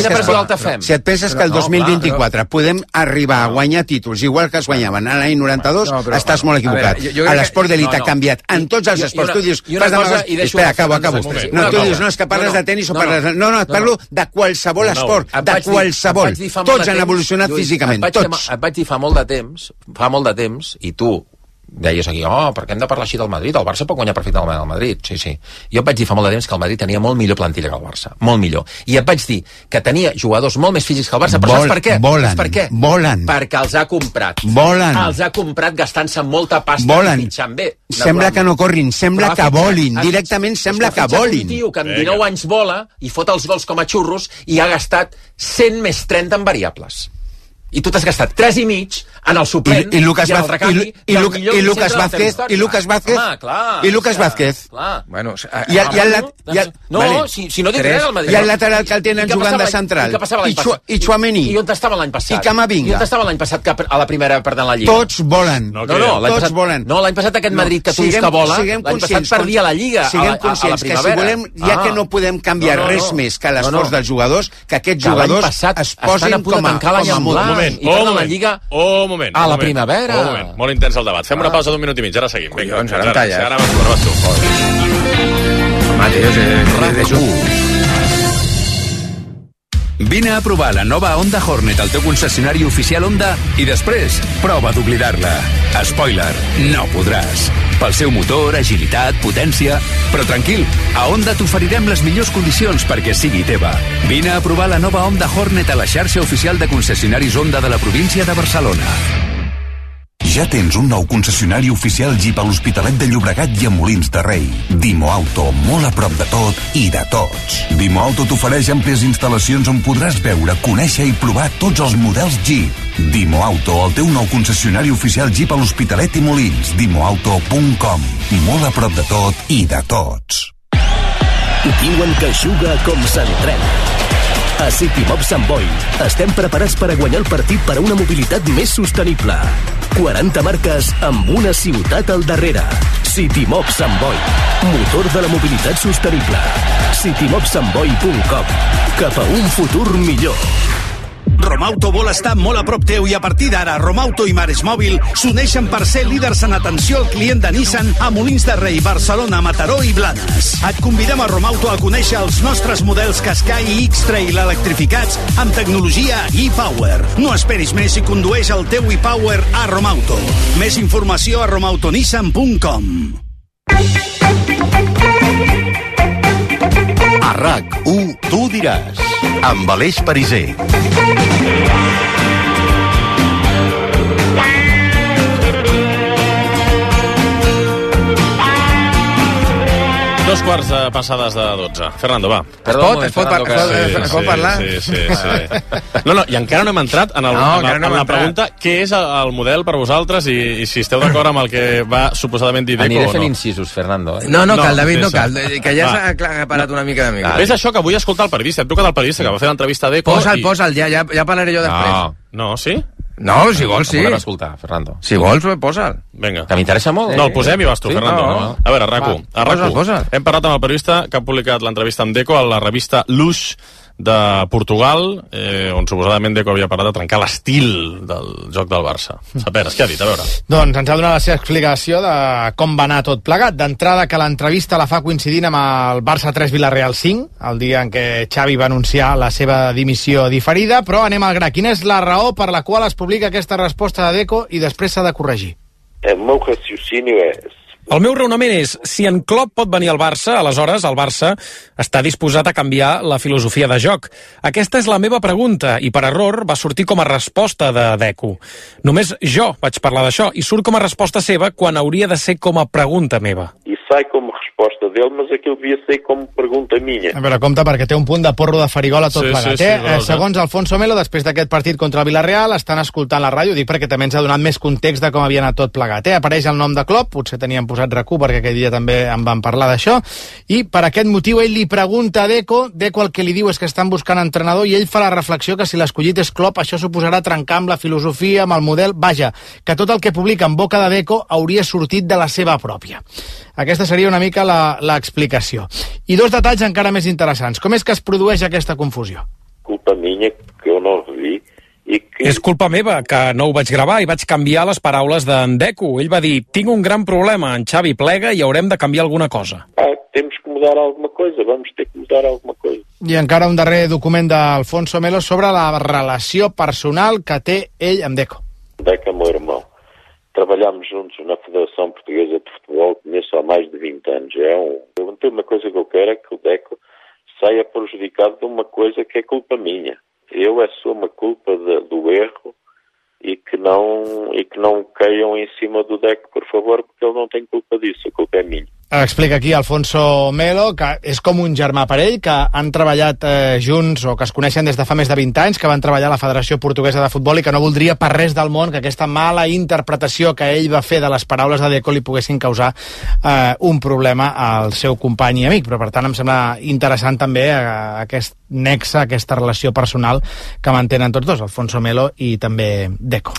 que el 2024 podem arribar a guanyar títols igual que es guanyaven a l'any 92, estàs molt equivocat. L'esport d'elit ha canviat en tots els esports. Tu dius, espera, acabo. No, tu dius, no, és que parles de tenis o parles de... No, et parlo de qualsevol esport, de qualsevol. Tots han evolucionat físicament, tots. Et vaig dir fa molt de temps, i tu deies aquí, per què hem de parlar així del Madrid? El Barça pot guanyar perfectament al Madrid. Sí. Jo et vaig dir fa molt de temps que el Madrid tenia molt millor plantilla que el Barça. Molt millor. I et vaig dir que tenia jugadors molt més físics que el Barça. Però saps per què? Volen. Perquè els ha comprat. Els ha comprat gastant-se molta pasta i fitxant bé. Sembla que no corrin, sembla que volin. Directament sembla que volin. Un tio que amb 19 anys vola i fot els gols com a xurros i ha gastat 100 més 30 en variables. I tu t'has gastat 3,5 en el suplent i Lucas Vázquez. Bueno, si no dic res al Madrid. I el lateral que el tenen jugant de central. I Tchouaméni. I on estava l'any passat? I Camavinga. I on estava l'any passat que a la primera perdent la Lliga? Tots volen. Tots volen. No, l'any passat aquest Madrid que tu dius que vola, l'any passat perdia la Lliga a la primavera. Siguem conscients que si volem, ja que no podem canviar res més que l'esforç dels jugadors, que aquests jugadors es posin com a model. moment. A la primavera. Molt intens el debat. Fem una pausa d'un minut i mig, ara seguim. Collons, ara em talles. Ara vas tu. Vine a provar la nova Honda Hornet al teu concessionari oficial Honda i després prova d'oblidar-la. Spoiler, no podràs. Pel seu motor, agilitat, potència... Però tranquil, a Honda t'oferirem les millors condicions perquè sigui teva. Vine a provar la nova Honda Hornet a la xarxa oficial de concessionaris Honda de la província de Barcelona. Ja tens un nou concessionari oficial Jeep a l'Hospitalet de Llobregat i a Molins de Rei. Dimo Auto, molt a prop de tot i de tots. Dimo Auto t'ofereix àmplies instal·lacions on podràs veure, conèixer i provar tots els models Jeep. Dimo Auto, el teu nou concessionari oficial Jeep a l'Hospitalet i Molins. Dimoauto.com. Molt a prop de tot i de tots. Diuen que juga com s'entrena. A CityMob Sant Boi estem preparats per a guanyar el partit per a una mobilitat més sostenible. 40 marques amb una ciutat al darrere. CityMob Sant Boi, motor de la mobilitat sostenible. CityMobSantBoi.com. Cap a un futur millor. Romauto vol estar molt a prop teu i a partir d'ara Romauto i Mares Mòbil s'uneixen per ser líders en atenció al client de Nissan a Molins de Rei, Barcelona, Mataró i Blanes. Et convidem a Romauto a conèixer els nostres models Qashqai i X-Trail electrificats amb tecnologia e-Power. No esperis més i condueix el teu e-Power a Romauto. Més informació a romautonissan.com. A RAC1 tu diràs, amb Aleix Pariser. Dos quarts de passades de 12. Fernando, va. Es pot parlar? Sí. No, i encara no hem entrat en la pregunta què és el model per vosaltres i si esteu d'acord amb el que va suposadament dir Deco o no. Aniré fent incisos, Fernando. No, cal, David, no cal. Que ja s'ha parat una mica de mica. Ves això, que vull escoltar el periodista. Hem trucat al periodista que va fer l'entrevista a Deco. Posa'l, ja parlaré jo després. No, sí? No, si vols, sí. Volem escoltar, Fernando. Si vols, posa'l. Vinga. Que m'interessa molt. No, el posem i vas tu, Fernando. No. A veure, RAC1. Hem parlat amb el periodista que ha publicat l'entrevista amb Deco a la revista Lush de Portugal, on suposadament Deco havia parlat de trencar l'estil del joc del Barça. Saperes, què ha dit? A veure. Doncs ens ha donat la seva explicació de com va anar tot plegat. D'entrada, que l'entrevista la fa coincidint amb el Barça 3 Villarreal 5, el dia en què Xavi va anunciar la seva dimissió diferida, però anem al gra. Quina és la raó per la qual es publica aquesta resposta de Deco i després s'ha de corregir? El meu raciocini és... El meu raonament és, si en Klopp pot venir al Barça, aleshores el Barça està disposat a canviar la filosofia de joc. Aquesta és la meva pregunta, i per error va sortir com a resposta de Deco. Només jo vaig parlar d'això, i surt com a resposta seva quan hauria de ser com a pregunta meva. I sai com a resposta d'ell, mas aquilo devia ser com pregunta minha. A veure, compte, perquè té un punt de porro de farigola tot plegat. Segons Alfonso Melo, després d'aquest partit contra el Villarreal, estan escoltant la ràdio, dic perquè també ens ha donat més context de com havia anat tot plegat. Apareix el nom de Klopp, potser teníem posat RAC1 perquè aquell dia també en van parlar d'això, i per aquest motiu ell li pregunta a Deco el que li diu és que estan buscant entrenador i ell fa la reflexió que si l'escollit és Klopp això suposarà trencar amb la filosofia, amb el model, vaja, que tot el que publica en boca de Deco hauria sortit de la seva pròpia. Aquesta seria una mica l'explicació. I dos detalls encara més interessants. Com és que es produeix aquesta confusió? Culpa minha que jo no vi. És culpa meva, que no ho vaig gravar i vaig canviar les paraules d'en Deco. Ell va dir, tinc un gran problema, en Xavi plega i haurem de canviar alguna cosa. Temos que mudar alguma coisa, vamos ter que mudar alguma coisa. I encara un darrer document d'Alfonso Melo sobre la relació personal que té ell amb Deco. Deco é meu irmão. Trabalhamos juntos na Federação Portuguesa de Futebol, conheço há mais de 20 anos. Tem uma coisa que eu quero é que o Deco saia prejudicado de uma coisa que é culpa minha. Eu assumo a culpa do erro e que não caiam em cima do Deco, por favor, porque ele não tem culpa disso, a culpa é minha. Explica aquí Alfonso Melo que és com un germà per ell, que han treballat junts o que es coneixen des de fa més de 20 anys, que van treballar a la Federació Portuguesa de Futbol i que no voldria per res del món que aquesta mala interpretació que ell va fer de les paraules de Deco li poguessin causar un problema al seu company i amic. Però per tant em sembla interessant també aquest nexe, aquesta relació personal que mantenen tots dos, Alfonso Melo i també Deco.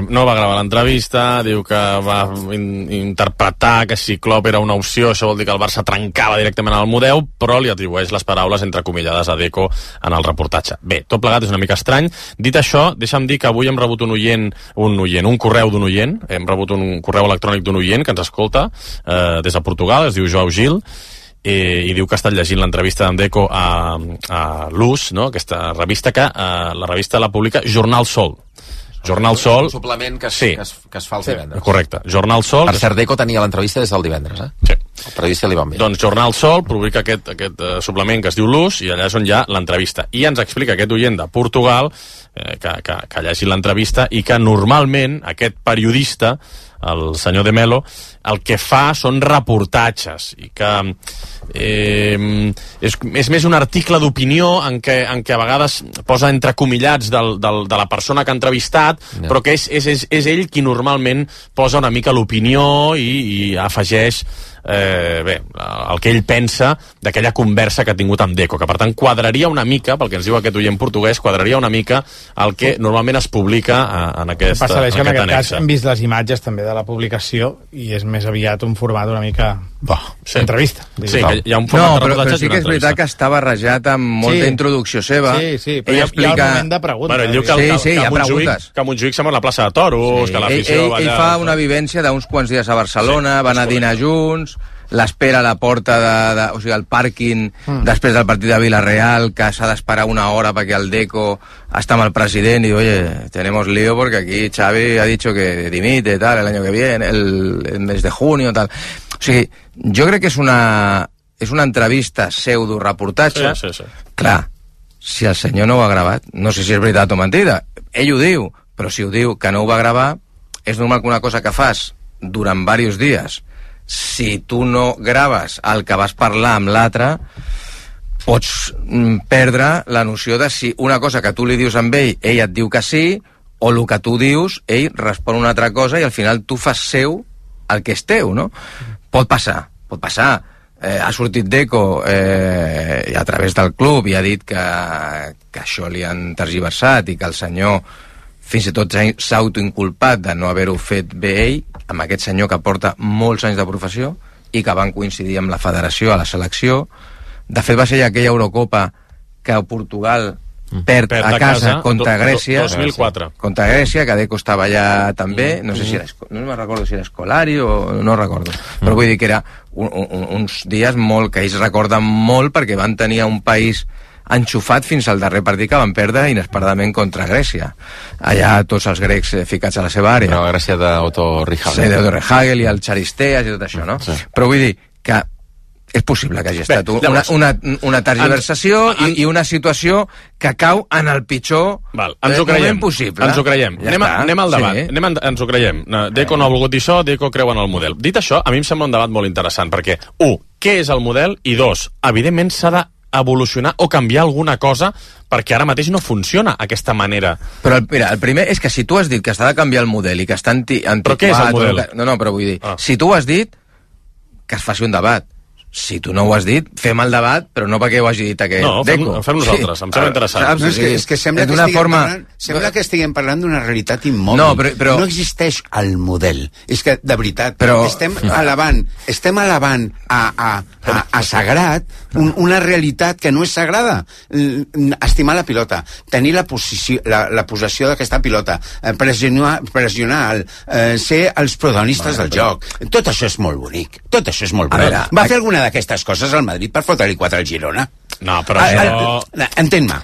No va gravar l'entrevista, diu que va interpretar que si Klopp era una opció, això vol dir que el Barça trencava directament el model, però li atribueix les paraules entrecomillades a Deco en el reportatge. Bé, tot plegat és una mica estrany. Dit això, deixa'm dir que avui hem rebut un correu d'un oient, hem rebut un correu electrònic d'un oient que ens escolta des de Portugal, es diu Joao Gil, i diu que ha estat llegint l'entrevista d'en Deco a Lush, no? Aquesta revista que la revista la publica Jornal Sol. Jornal Sol... Un suplement que es fa els divendres. Correcte. Jornal Sol... Per cert, Deco tenia l'entrevista des del divendres, Sí. El periodista li va bé. Doncs Jornal Sol publica aquest suplement que es diu Lush i allà és on hi ha l'entrevista. I ens explica aquest oient de Portugal que ha llegit l'entrevista i que normalment aquest periodista, el senyor de Melo, el que fa són reportatges i que és més un article d'opinió en què a vegades posa entrecomillats de la persona que ha entrevistat, però que és ell qui normalment posa una mica l'opinió i afegeix el que ell pensa d'aquella conversa que ha tingut amb Deco, que per tant quadraria una mica, pel que ens diu aquest oient portuguès, quadraria una mica el que normalment es publica en aquest annex. En aquest cas hem vist les imatges també de la publicació i és més aviat un format una mica... entrevista. Sí, que hi ha un format de reportatge. Però sí que és veritat que està barrejat amb molta introducció seva. Sí, però hi ha el moment de preguntes. Bueno, ell diu que Montjuïc sembla una plaça de toros, que l'afició... Ell fa una vivència d'uns quants dies a Barcelona, van a dinar junts, l'espera a la porta o sigui, al pàrquing després del partit de Villarreal, que s'ha d'esperar una hora perquè el Deco està amb el president i oye, tenemos lío porque aquí Xavi ha dicho que dimite tal el año que viene, el mes de junio tal. O sigui, jo crec que és una entrevista pseudo-reportatge. Sí. Clar, si el senyor no ho ha gravat, no sé si és veritat o mentida, ell ho diu, però si ho diu que no ho va gravar, és normal que una cosa que fas durant diversos dies, si tu no graves el que vas parlar amb l'altre, pots perdre la noció de si una cosa que tu li dius amb ell et diu que sí, o el que tu dius, ell respon una altra cosa i al final tu fas seu el que és teu, no? Pot passar. Ha sortit Deco a través del club i ha dit que això li han tergiversat i que el senyor fins i tot s'ha autoinculpat de no haver-ho fet bé ell, amb aquest senyor que porta molts anys de professió i que van coincidir amb la federació a la selecció. De fet, va ser aquella Eurocopa que Portugal perd a casa contra Grècia. 2004. Contra Grècia, que Deco estava allà també. No sé si era, no me'n recordo si era Scolari o no recordo. Però vull dir que era uns dies molt que ells recorden molt perquè van tenir un país enxufat fins al darrer partit que van perdre inesperadament contra Grècia. Allà tots els grecs ficats a la seva àrea. Però la Grècia d'Otto Rehhagel. Sí, d'Otto Rehhagel i el Charisteas i tot això, no? Sí. Però vull dir que és possible que hagi estat una tergiversació i una situació que cau en el pitjor moment possible. Ens ho creiem. Anem al debat. Sí. Ens ho creiem. Deco no ha volgut dir això, Deco creu en el model. Dit això, a mi em sembla un debat molt interessant, perquè, què és el model? I dos, evidentment s'ha de evolucionar o canviar alguna cosa perquè ara mateix no funciona aquesta manera. Però mira, el primer és que si tu has dit que s'ha de canviar el model i que està antiquat... Però què és el model? No, però vull dir, si tu ho has dit, que es faci un debat. Si tu no ho has dit, fem el debat, però no perquè ho hagi dit aquest Deco. No, fem nosaltres, em sembla interessant. No, és que sembla que estiguem parlant d'una realitat immòbil. No, però... no existeix el model. És que, de veritat, estem elevant a sagrat una realitat que no és sagrada. Estimar la pilota, tenir la possessió d'aquesta pilota, pressionar, ser els protagonistes del joc. Tot això és molt bonic. Tot això és molt bonic. Va fer alguna d'aquestes coses al Madrid per fotre-li 4 al Girona? No, però això... Entén-me.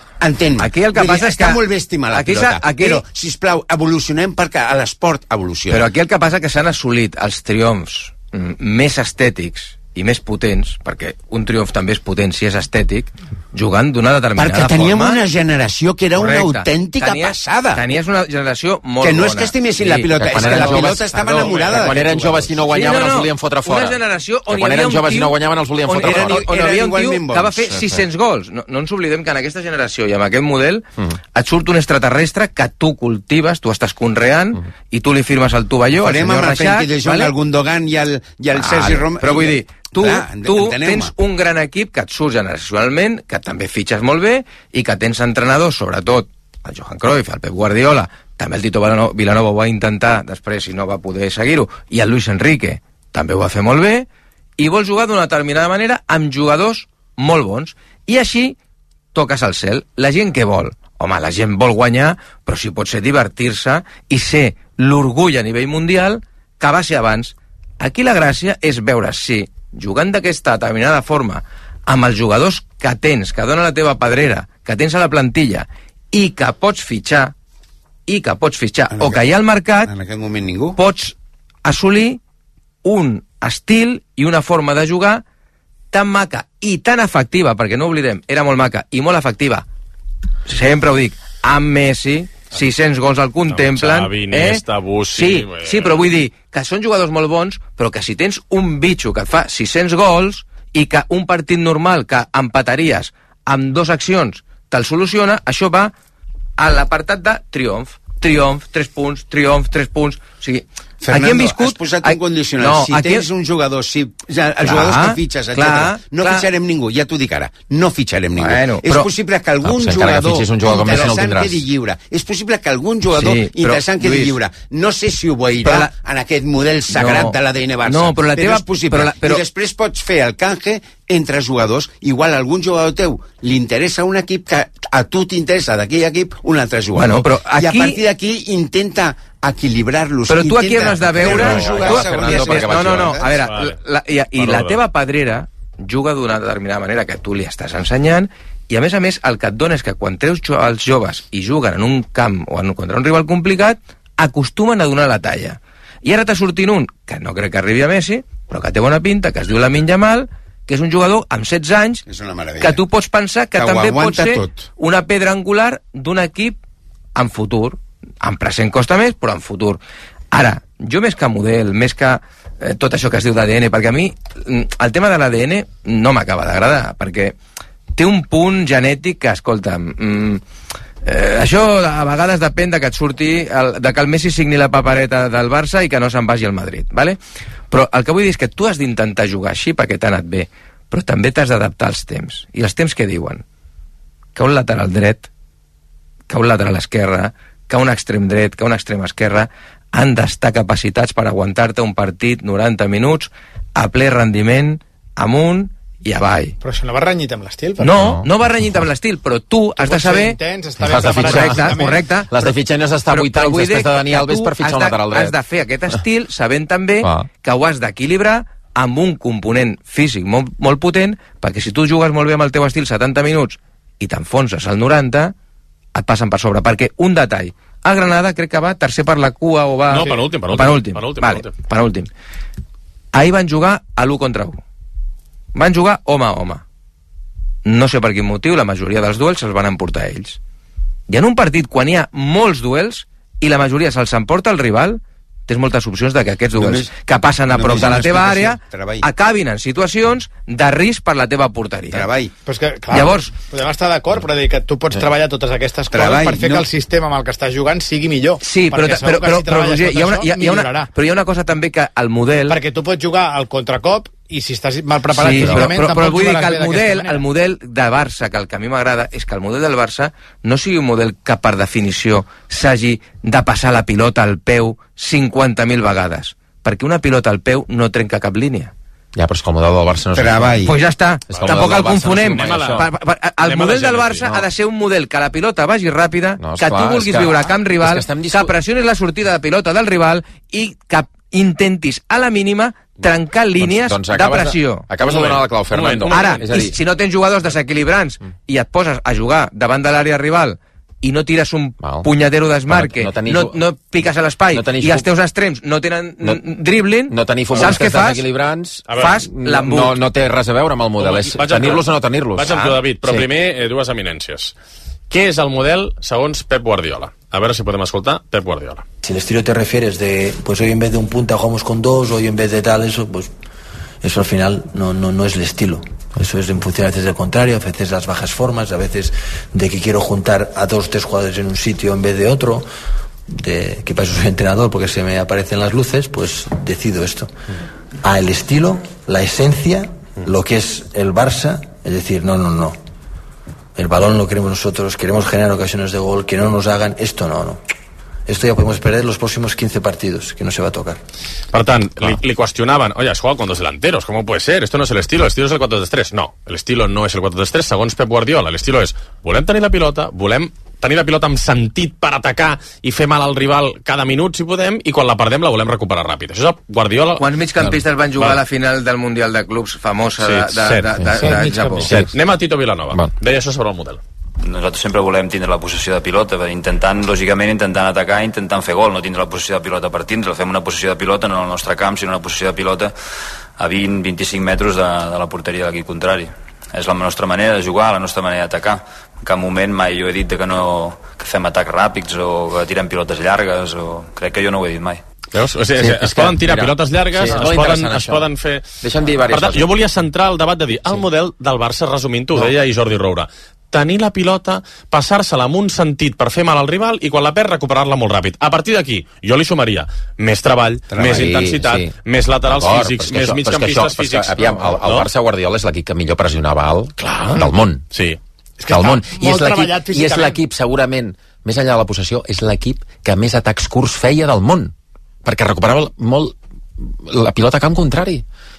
Aquí el que passa és que... Està molt bé estimar la pilota, però, sisplau, evolucionem perquè l'esport evoluciona. Però aquí el que passa és que s'han assolit els triomfs més estètics i més potents, perquè un triomf també és potent si és estètic, jugant d'una determinada forma. Perquè teníem una generació que era una autèntica passada. Tenies una generació molt bona. Que no és que estimessin la pilota, és que la pilota estava enamorada. Quan eren joves i no guanyaven els volien fotre fora. Una generació on quan eren joves i no guanyaven els volien fotre fora. On hi havia un tio que va fer 600 gols. No ens oblidem que en aquesta generació i amb aquest model et surt un extraterrestre que tu cultives, tu estàs conreant i tu li firmes el tovalló al senyor Reixac. El Gundogan i el Sergi Rom... Però vull dir, tu tens un gran equip que et surt generacionalment, que també fitxes molt bé i que tens entrenadors, sobretot el Johan Cruyff, el Pep Guardiola, també el Tito Vilanova ho va intentar després i no va poder seguir-ho, i el Luis Enrique també ho va fer molt bé, i vols jugar d'una determinada manera amb jugadors molt bons, i així toques al cel. La gent què vol? Home, la gent vol guanyar, però si pot ser divertir-se i ser l'orgull a nivell mundial que va ser abans. Aquí la gràcia és veure si jugant d'aquesta determinada forma amb els jugadors que tens, que dona la teva pedrera, que tens a la plantilla i que pots fitxar o que hi ha al mercat, en aquest moment ningú, pots assolir un estil i una forma de jugar tan maca i tan efectiva, perquè no oblidem, era molt maca i molt efectiva, sempre ho dic, amb Messi, 600 gols el contemplen. Xavi, Iniesta, Bussi... Sí, però vull dir que són jugadors molt bons, però que si tens un bitxo que et fa 600 gols i que un partit normal que empataries amb 2 accions te'l soluciona, això va a l'apartat de triomf. Triomf, 3 punts, triomf, 3 punts... O sigui, Fernando, has posat un condicional. Si tens un jugador, els jugadors que fitxes, etc. No fitxarem ningú, ja t'ho dic ara. No fitxarem ningú. És possible que algun jugador interessant quedi lliure. És possible que algun jugador interessant quedi lliure. No sé si ho veurà en aquest model sagrat de l'ADN Barça, però és possible. I després pots fer el canje entre jugadors. Igual a algun jugador teu li interessa un equip que a tu t'interessa d'aquell equip un altre jugador. I a partir d'aquí intenta equilibrar-los. Però tu aquí has de veure... No, a veure, i la teva pedrera juga d'una determinada manera que tu li estàs ensenyant, i a més, el que et dona és que quan treus els joves i juguen en un camp o contra un rival complicat, acostumen a donar la talla. I ara t'ha sortint un, que no crec que arribi a Messi, però que té bona pinta, que es diu Lamine Yamal, que és un jugador amb 16 anys, que tu pots pensar que també pot ser una pedra angular d'un equip en futur. En present costa més, però en futur. Ara, jo més que model, més que tot això que es diu d'ADN, perquè a mi el tema de l'ADN no m'acaba d'agradar, perquè té un punt genètic que, escolta'm, això a vegades depèn de que et surti, de que el Messi signi la papereta del Barça i que no se'n vagi al Madrid, ¿vale? Però el que vull dir és que tu has d'intentar jugar així perquè t'ha anat bé, però també t'has d'adaptar als temps. I els temps què diuen? Que un lateral dret, que un lateral esquerre, que un extrem dret, que un extrem esquerre han d'estar capacitats per aguantar-te un partit 90 minuts a ple rendiment, amunt i avall. Però això no va renyit amb l'estil? No va renyit amb l'estil, però tu has de saber... Correcte. Les de fitxar no s'està 8 anys després de Dani Alves per fitxar un lateral dret. Has de fer aquest estil sabent també que ho has d'equilibrar amb un component físic molt potent, perquè si tu jugues molt bé amb el teu estil 70 minuts i t'enfonses al 90, et passen per sobre, perquè un detall, a Granada crec que va tercer per la cua o va... No, penúltim. Ahir van jugar a l'1 contra 1. Van jugar home a home. No sé per quin motiu, la majoria dels duels se'ls van emportar ells. I en un partit, quan hi ha molts duels, i la majoria se'ls emporta el rival, tens moltes opcions de que aquests duels que passen a prop de la teva àrea acabin en situacions de risc per la teva porteria. Però és que, clar, llavors, podem estar d'acord, però dir que tu pots treballar totes aquestes coses per fer que el sistema amb el que estàs jugant sigui millor. Sí, però Roger, hi ha una cosa també que el model... Perquè tu pots jugar al contracop i si estàs mal preparat físicament però vull dir que el model de Barça, que el que a mi m'agrada és que el model del Barça no sigui un model que per definició s'hagi de passar la pilota al peu 50.000 vegades, perquè una pilota al peu no trenca cap línia. Ja, però és que el model del Barça no és... Pues ja està, tampoc el confonem. El model del Barça ha de ser un model que la pilota vagi ràpida, que tu vulguis viure a camp rival, que pressionis la sortida de pilota del rival i que intentis a la mínima trencar línies de pressió. Acabes de donar la clau, Fernando. Ara, si no tens jugadors desequilibrants i et poses a jugar davant de l'àrea rival i no tires un punyadero d'esmarque, no piques a l'espai i els teus extrems no tenen dribbling, saps què fas? Fas l'embut. No té res a veure amb el model, és tenir-los o no tenir-los. Vaig amb tu, David, però primer dues eminències. ¿Qué es el model segons Pep Guardiola? A ver si podemos escoltar Pep Guardiola. Si el estilo te refieres de, pues hoy en vez de un punta jugamos con dos, hoy en vez de tal, eso, pues eso al final no es el estilo. Eso es en función a veces del contrario, a veces las bajas formas, a veces de que quiero juntar a 2 o 3 jugadores en un sitio en vez de otro, de que para eso soy entrenador porque se me aparecen las luces, pues decido esto. A el estilo, la esencia, lo que es el Barça, es decir, no. El balón lo queremos nosotros, queremos generar ocasiones de gol, que no nos hagan, esto no. Esto ya podemos perder los próximos 15 partidos, que no se va a tocar. Per tant, li qüestionaven, oye, has jugado con 2 delanteros, ¿cómo puede ser? Esto no es el estilo es el 4-3-3. No, el estilo no es el 4-3-3, segons Pep Guardiola. El estilo és, volem tenir la pilota, volem tenir la pilota amb sentit per atacar i fer mal al rival cada minut, si podem, i quan la perdem la volem recuperar ràpid. Això és Guardiola... Quants migcampistes van jugar a la final del Mundial de Clubs famosa de Japó? Anem a Tito Vilanova. Deia això sobre el model. Nosaltres sempre volem tindre la possessió de pilota, intentant atacar, intentant fer gol, no tindre la possessió de pilota per tindre, fem una possessió de pilota no al nostre camp, sinó una possessió de pilota a 20-25 metres de la porteria de l'equip contrari. És la nostra manera de jugar, la nostra manera d'atacar. En cap moment mai jo he dit que fem atacs ràpids o que tirem pilotes llargues, crec que jo no ho he dit mai. Veus? O sigui, es poden tirar pilotes llargues, es poden fer... Deixa'm dir diverses coses. Jo volia centrar el debat de dir, el model del Barça, resumint-ho, ho deia Jordi Roura, tenir la pilota, passar-se-la amb un sentit per fer mal al rival i quan la perd recuperar-la molt ràpid. A partir d'aquí, jo li sumaria més treball, més intensitat, més laterals físics, més migcampistes físics. Aviam, el Barça Guardiola és l'equip que millor pressionava alt del món. Sí. Del món. I és l'equip, segurament, més enllà de la possessió, és l'equip que més atacs curts feia del món, perquè recuperava molt la pilota a camp contrari.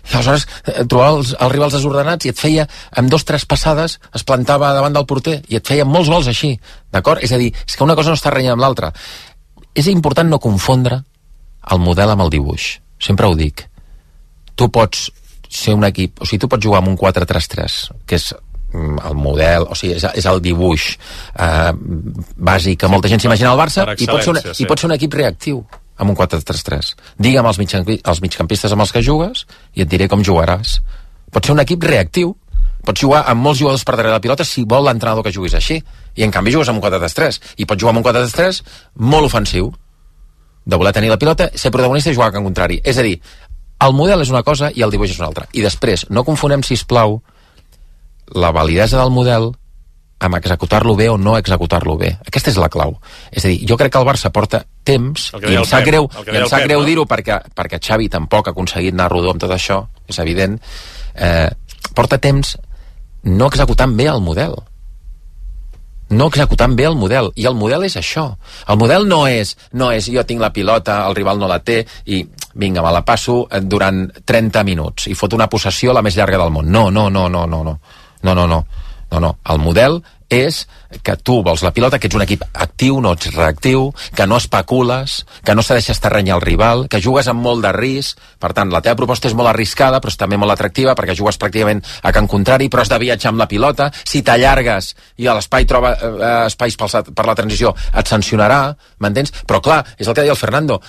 I aleshores trobava els rivals desordenats i et feia, amb 2 o 3 passades, es plantava davant del porter i et feia molts gols així, d'acord? És a dir, és que una cosa no està renyant amb l'altra. És important no confondre el model amb el dibuix. Sempre ho dic. Tu pots ser un equip, o sigui, tu pots jugar amb un 4-3-3, que és el model, o sigui, és el dibuix bàsic que molta gent s'imagina al Barça, i pot ser un equip reactiu amb un 4-3-3. Digue'm els migcampistes amb els que jugues i et diré com jugaràs. Pot ser un equip reactiu, pots jugar amb molts jugadors per darrere de la pilota si vol l'entrenador que juguis així, i en canvi jugues amb un 4-3-3, i pots jugar amb un 4-3-3 molt ofensiu, de voler tenir la pilota, ser protagonista i jugar al camp contrari. És a dir, el model és una cosa i el dibuix és una altra. I després, no confonem, sisplau, la validesa del model amb executar-lo bé o no executar-lo bé. Aquesta és la clau. És a dir, jo crec que el Barça porta temps, i em sap greu dir-ho perquè Xavi tampoc ha aconseguit anar rodó amb tot això, és evident, porta temps no executant bé el model. No executant bé el model. I el model és això. El model no és jo tinc la pilota, el rival no la té, i vinga, me la passo durant 30 minuts i fot una possessió la més llarga del món. No. El model és que tu vols la pilota, que ets un equip actiu, no ets reactiu, que no especules, que no se deixes terreny al rival, que jugues amb molt de risc. Per tant, la teva proposta és molt arriscada, però és també molt atractiva, perquè jugues pràcticament a camp contrari, però has de viatjar amb la pilota. Si t'allargues i a l'espai troba espais per la transició, et sancionarà, m'entens? Però clar, és el que deia el Fernando,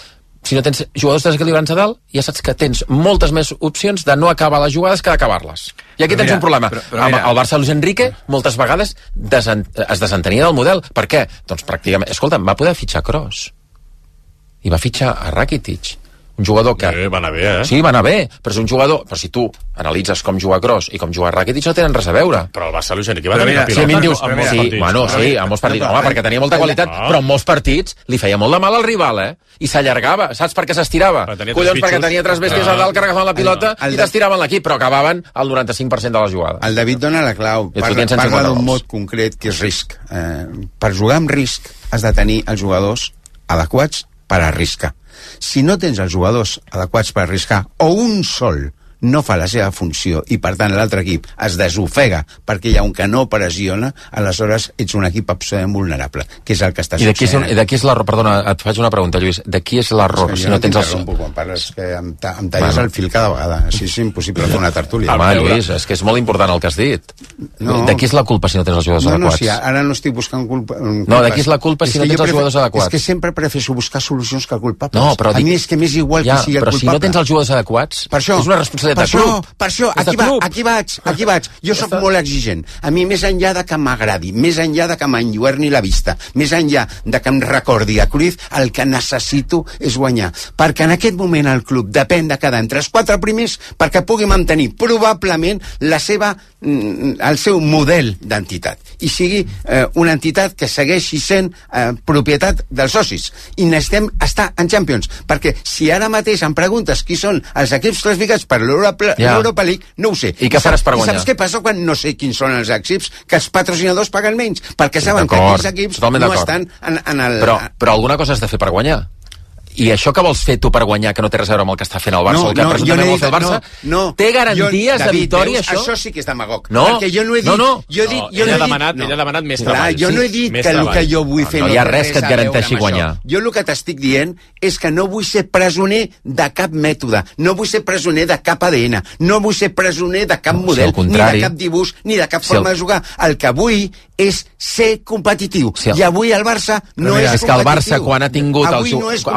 si no tens jugadors desequilibrants a dalt, ja saps que tens moltes més opcions de no acabar les jugades que d'acabar-les. I aquí tens un problema. El Barça Luis Enrique moltes vegades es desentenia del model. Per què? Doncs pràcticament, escolta'm, va poder fitxar Kroos i va fitxar a Rakitic, un jugador que... va anar bé, Sí, va anar bé, però és un jugador... Però si tu analitzes com juga Kroos i com juga Rakitic, no tenen res a veure. Però el Barça Luis Enrique va tenir la pilota. Sí, a mi em dius... Sí, en molts partits. Home, perquè tenia molta qualitat, però en molts partits li feia molt de mal al rival, I s'allargava. Saps per què s'estirava? Collons, perquè tenia 3 bèsties a dalt que agafaven la pilota i t'estiraven l'equip, però acabaven el 95% de la jugada. El David dona la clau. Parla d'un mot concret que és risc. Per jugar amb risc has de tenir els jugadors adequats per arriscar. Si no tens els jugadors adequats per arriscar, o un sol no fa la seva funció i per tant l'altre equip es desofega perquè hi ha un que no pressiona, aleshores ets un equip absolutament vulnerable, que és el que està succeint. I de qui és l'error? Perdona, et faig una pregunta, Lluís. De qui és l'error? Si no tens quan parles, que em talles el fil cada vegada. Així és impossible fer una tertúlia. Home, Lluís, és que és molt important el que has dit. De qui és la culpa si no tens els jugadors adequats? No, ara no estic buscant culpa. No, de qui és la culpa si no tens els jugadors adequats? És que sempre prefereixo buscar solucions que culpables. No, però a mi és que m'és igual qui sigui el culpable. Però si no tens els jugadors adequats, és una responsabilitat de club. Per això, aquí vaig. Jo sóc molt exigent. A mi, més enllà de que m'agradi, més enllà de que m'enlluerni la vista, més enllà de que em recordi a Cruyff, el que necessito és guanyar. Perquè en aquest moment el club depèn de quedar entre els 4 primers perquè pugui mantenir probablement el seu model d'entitat. I sigui una entitat que segueixi sent propietat dels socis. I necessitem estar en Champions. Perquè si ara mateix em preguntes qui són els equips classificats per l'Europa League, no ho sé. I què faràs per guanyar? I saps què passa quan no sé quins són els equips? Que els patrocinadors paguen menys, perquè saben que aquells equips no estan en el... Però alguna cosa has de fer per guanyar. I això que vols fer tu per guanyar, que no té res a veure amb el que està fent el Barça, o el que presumptament vol fer el Barça, té garanties de victòria, això? Això sí que és demagog. No, perquè jo no he dit... Ell ha demanat més treball. Jo no he dit que el que jo vull fer no hi ha res que et garanteixi guanyar. Jo el que t'estic dient és que no vull ser presoner de cap mètode, no vull ser presoner de cap ADN, no vull ser presoner de cap model, ni de cap dibuix, ni de cap forma de jugar. El que vull és ser competitiu. I avui el Barça no és competitiu. És que el Barça, quan ha tingut el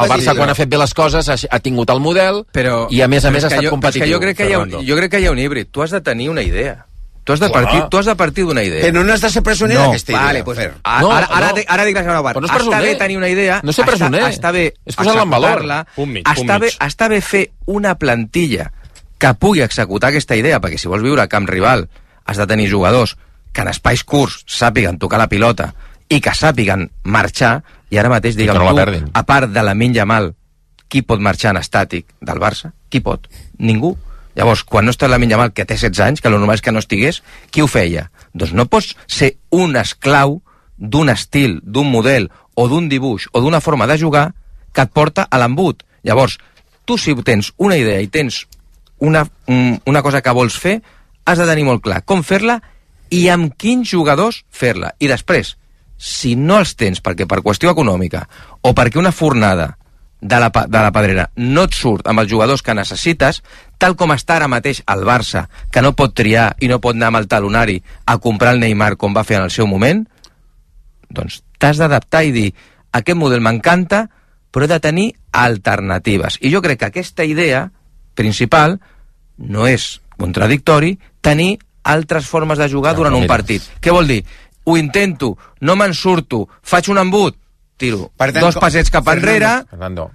Barça, quan ha fet bé les coses, ha tingut el model, i a més ha estat competitiu. Jo crec que hi ha un híbrid. Tu has de tenir una idea. Tu has de partir d'una idea. Però no has de ser presoner d'aquesta idea. Vale, pues, ara dic la segona part. Està bé tenir una idea, no ser presoner. Està bé és posar-la en valor. Està bé fer una plantilla que pugui executar aquesta idea, perquè si vols viure a camp rival has de tenir jugadors que en espais curts sàpiguen tocar la pilota i que sàpiguen marxar, i ara mateix digue'm tu, a part de Lamine Yamal, qui pot marxar en estàtic del Barça? Qui pot? Ningú. Llavors, quan no està Lamine Yamal, que té 16 anys, que el normal és que no estigués, qui ho feia? Doncs no pots ser un esclau d'un estil, d'un model, o d'un dibuix, o d'una forma de jugar que et porta a l'embut. Llavors, tu si tens una idea i tens una cosa que vols fer, has de tenir molt clar com fer-la i amb quins jugadors fer-la. I després, si no els tens perquè per qüestió econòmica o perquè una fornada de la Pedrera no et surt amb els jugadors que necessites, tal com està ara mateix el Barça, que no pot triar i no pot anar amb el talonari a comprar el Neymar com va fer en el seu moment, doncs t'has d'adaptar i dir, aquest model m'encanta, però he de tenir alternatives. I jo crec que aquesta idea principal no és contradictori tenir altres formes de jugar durant un partit. Què vol dir? Ho intento, no me'n surto, faig un embut, tiro dos passets cap enrere,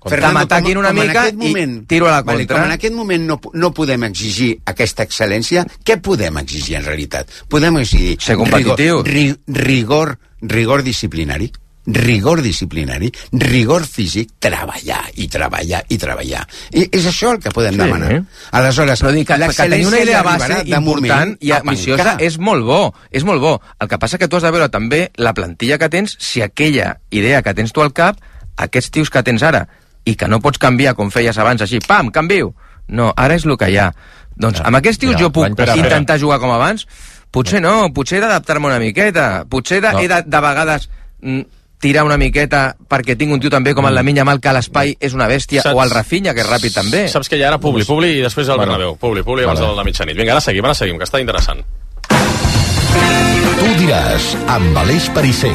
que m'ataquin una mica i tiro a la contra. Com en aquest moment no podem exigir aquesta excel·lència, què podem exigir en realitat? Podem exigir ser competitius, rigor disciplinari, rigor físic, treballar. I és això el que podem demanar. Aleshores, però dic que tenir una idea base important i ambiciosa és molt bo. El que passa que tu has de veure també la plantilla que tens, si aquella idea que tens tu al cap, aquests tios que tens ara, i que no pots canviar com feies abans, així, pam, canvio. No, ara és el que hi ha. Doncs amb aquests tios jo puc intentar jugar com abans? Potser no, potser he d'adaptar-me una miqueta, potser he de vegades tirar una miqueta perquè tinc un tio també com el Lamine Yamal, que a l'espai és una bèstia, o el Rafinha, que és ràpid també. Saps que ja era Publi i després el Bernabéu. Publi abans de la mitjanit. Vinga, ara seguim, que està interessant. Tu diràs, amb Aleix Perisser.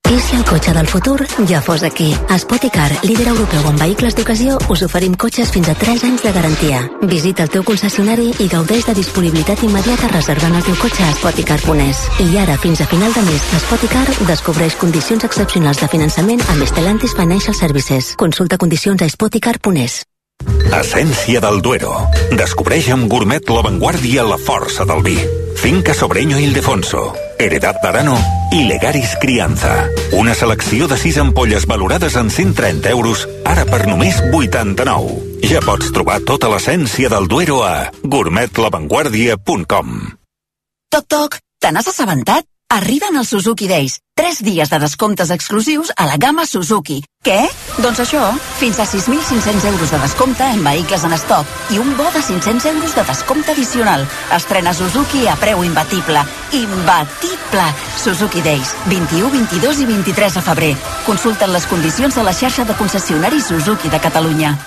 I si el cotxe del futur ja fos aquí? A Spoticar, líder europeu en vehicles d'ocasió, us oferim cotxes fins a 3 anys de garantia. Visita el teu concessionari i gaudeix de disponibilitat immediata reservant el teu cotxe a Spoticar.es. I ara, fins a final de mes, a Spoticar descobreix condicions excepcionals de finançament amb Stellantis Financial Services. Consulta condicions a Spoticar.es. Essència del Duero. Descobreix amb Gourmet l'avantguàrdia la força del vi. Finca Sobreño Ildefonso, Heredad d'Arano i Legaris Crianza. Una selecció de 6 ampolles valorades en 130 euros, ara per només 89. Ja pots trobar tota l'essència del Duero a gourmetlavanguardia.com. Toc, toc, te n'has assabentat? Arriben els Suzuki Days. 3 dies de descomptes exclusius a la gamma Suzuki. Què? Doncs això, fins a 6.500 euros de descompte en vehicles en estoc i un bo de 500 euros de descompte addicional. Estrena Suzuki a preu imbatible. Imbatible! Suzuki Days, 21, 22 i 23 de febrer. Consulten les condicions a la xarxa de concessionaris Suzuki de Catalunya.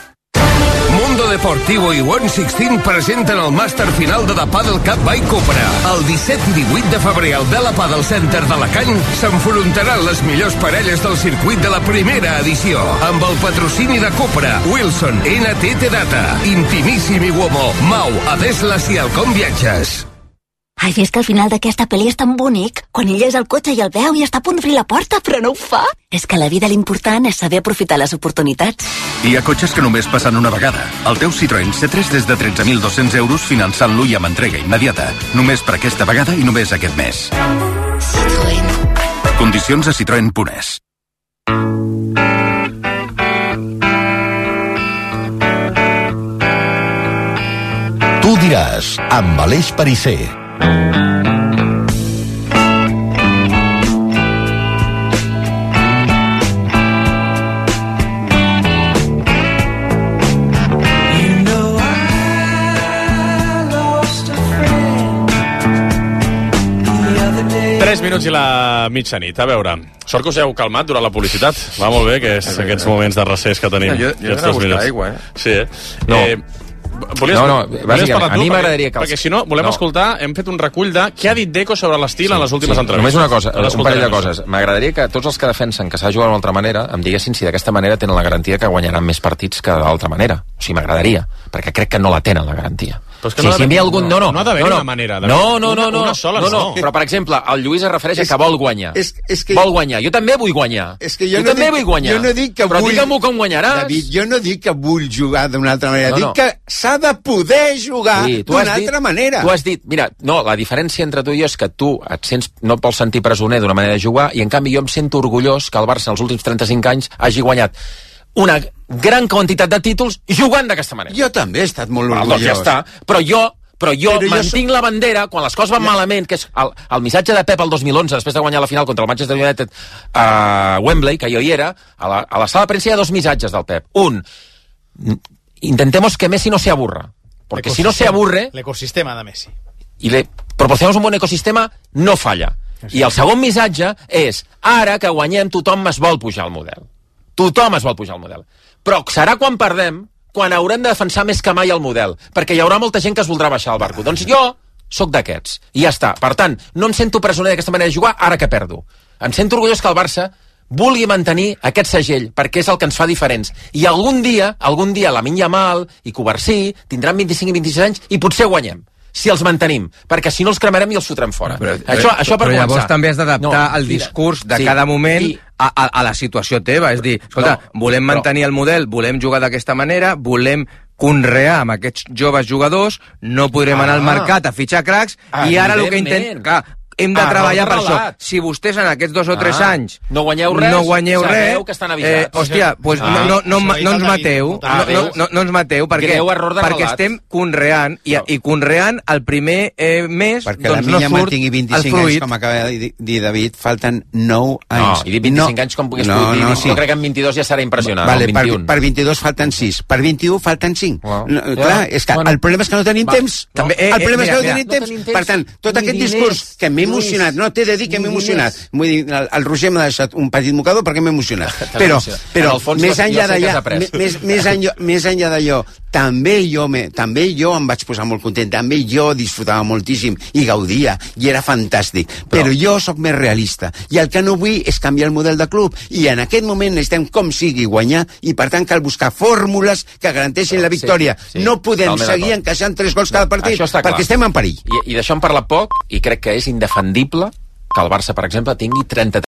Mundo Deportivo i One 16 presenten el màster final de The Padel Cup by Cupra. El 17 i 18 de febrer al Bella Padel Center d'Alacant s'enfrontaran les millors parelles del circuit de la primera edició. Amb el patrocini de Cupra, Wilson, NTT Data, Intimissimi Uomo, Mau, Adeslas i Alcom Viatges. Ai, és que al final d'aquesta pel·li és tan bonic. Quan ell és al cotxe i el veu i està a punt d'obrir la porta, però no ho fa. És que a la vida l'important és saber aprofitar les oportunitats. Hi ha cotxes que només passen una vegada. El teu Citroën C3 des de 13.200 euros finançant-lo i amb entrega immediata. Només per aquesta vegada i només aquest mes. Citroën. Condicions a citroen.es. Tu diràs, amb Aleix Perisser. Minuts i la mitjanit. A veure, sort que us heu calmat durant la publicitat. Va molt bé, que és aquests moments de recés que tenim. Jo he de buscar aigua, Sí, No. Volies parlar a mi m'agradaria que... Perquè si no, volem escoltar, hem fet un recull de què ha dit Deco sobre l'estil en les últimes entrevistes. Només una cosa, un parell de coses. M'agradaria que tots els que defensen que s'ha jugat d'una altra manera em diguessin si d'aquesta manera tenen la garantia que guanyaran més partits que d'altra manera. O sigui, m'agradaria, perquè crec que no la tenen, la garantia. Però és que si hi havia algun... No ha d'haver una manera. Una sola no. Però, per exemple, el Lluís es refereix a que vol guanyar. Vol guanyar. Jo també vull guanyar. Jo no dic que però digue-m'ho com guanyaràs. David, jo no dic que vull jugar d'una altra manera. Dic que s'ha de poder jugar d'una altra manera. Tu has dit, mira, no, la diferència entre tu i jo és que tu et sents, no et vols sentir presoner d'una manera de jugar, i en canvi jo em sento orgullós que el Barça en els últims 35 anys hagi guanyat una gran quantitat de títols jugant d'aquesta manera. Jo també he estat molt orgullós. Doncs ja està. Però jo mantinc la bandera quan les coses van malament, que és el missatge de Pep el 2011, després de guanyar la final contra el Manchester United a Wembley, que jo hi era, a la sala de premsa hi ha dos missatges del Pep. Un, intentemos que Messi no se aburra, porque si no se aburre... L'ecosistema de Messi. Y le proporcionamos un bon ecosistema, no falla. I el segon missatge és, ara que guanyem tothom es vol pujar al model. Tothom es vol pujar al model. Però serà quan perdem, quan haurem de defensar més que mai el model, perquè hi haurà molta gent que es voldrà baixar al barco. Doncs jo sóc d'aquests, i ja està. Per tant, no em sento presoner d'aquesta manera de jugar ara que perdo. Em sento orgullós que el Barça vulgui mantenir aquest segell, perquè és el que ens fa diferents. I algun dia, Lamine Yamal i Covarsí tindran 25 i 26 anys i potser guanyem. Si els mantenim, perquè si no els cremarem i els fotrem fora. Això per començar. Llavors també has d'adaptar el discurs de cada moment a la situació teva. És dir, escolta, volem mantenir el model, volem jugar d'aquesta manera, volem conrear amb aquests joves jugadors, no podrem anar al mercat a fitxar cracs, i ara el que intentem... Clar, hem de treballar per això. Si vostès en aquests 2 o 3 anys no guanyeu res, que estan avisats. Hòstia, doncs no ens mateu. No ens mateu, perquè estem conreant, i conreant el primer mes, perquè la Minya mantingui 25 anys, com acaba de dir David, falten 9 anys. I dir 25 anys com puguis dir. Jo crec que en 22 ja serà impressionant. Per 22 falten 6, per 21 falten 5. Clar, el problema és que no tenim temps. El problema és que no tenim temps. Per tant, tot aquest discurs que m'he emocionat, no, t'he de dir que m'he emocionat. Vull dir, el Roger m'ha deixat un petit mocador perquè m'he emocionat. Però més enllà d'allò, també jo em vaig posar molt content, també jo disfrutava moltíssim i gaudia, i era fantàstic. Però jo sóc més realista, i el que no vull és canviar el model de club, i en aquest moment necessitem com sigui guanyar, i per tant cal buscar fórmules que garanteixin la victòria. No podem seguir encaixant 3 gols cada partit, perquè estem en perill. I d'això en parla poc, i crec que és indefendible que el Barça, per exemple, tingui 33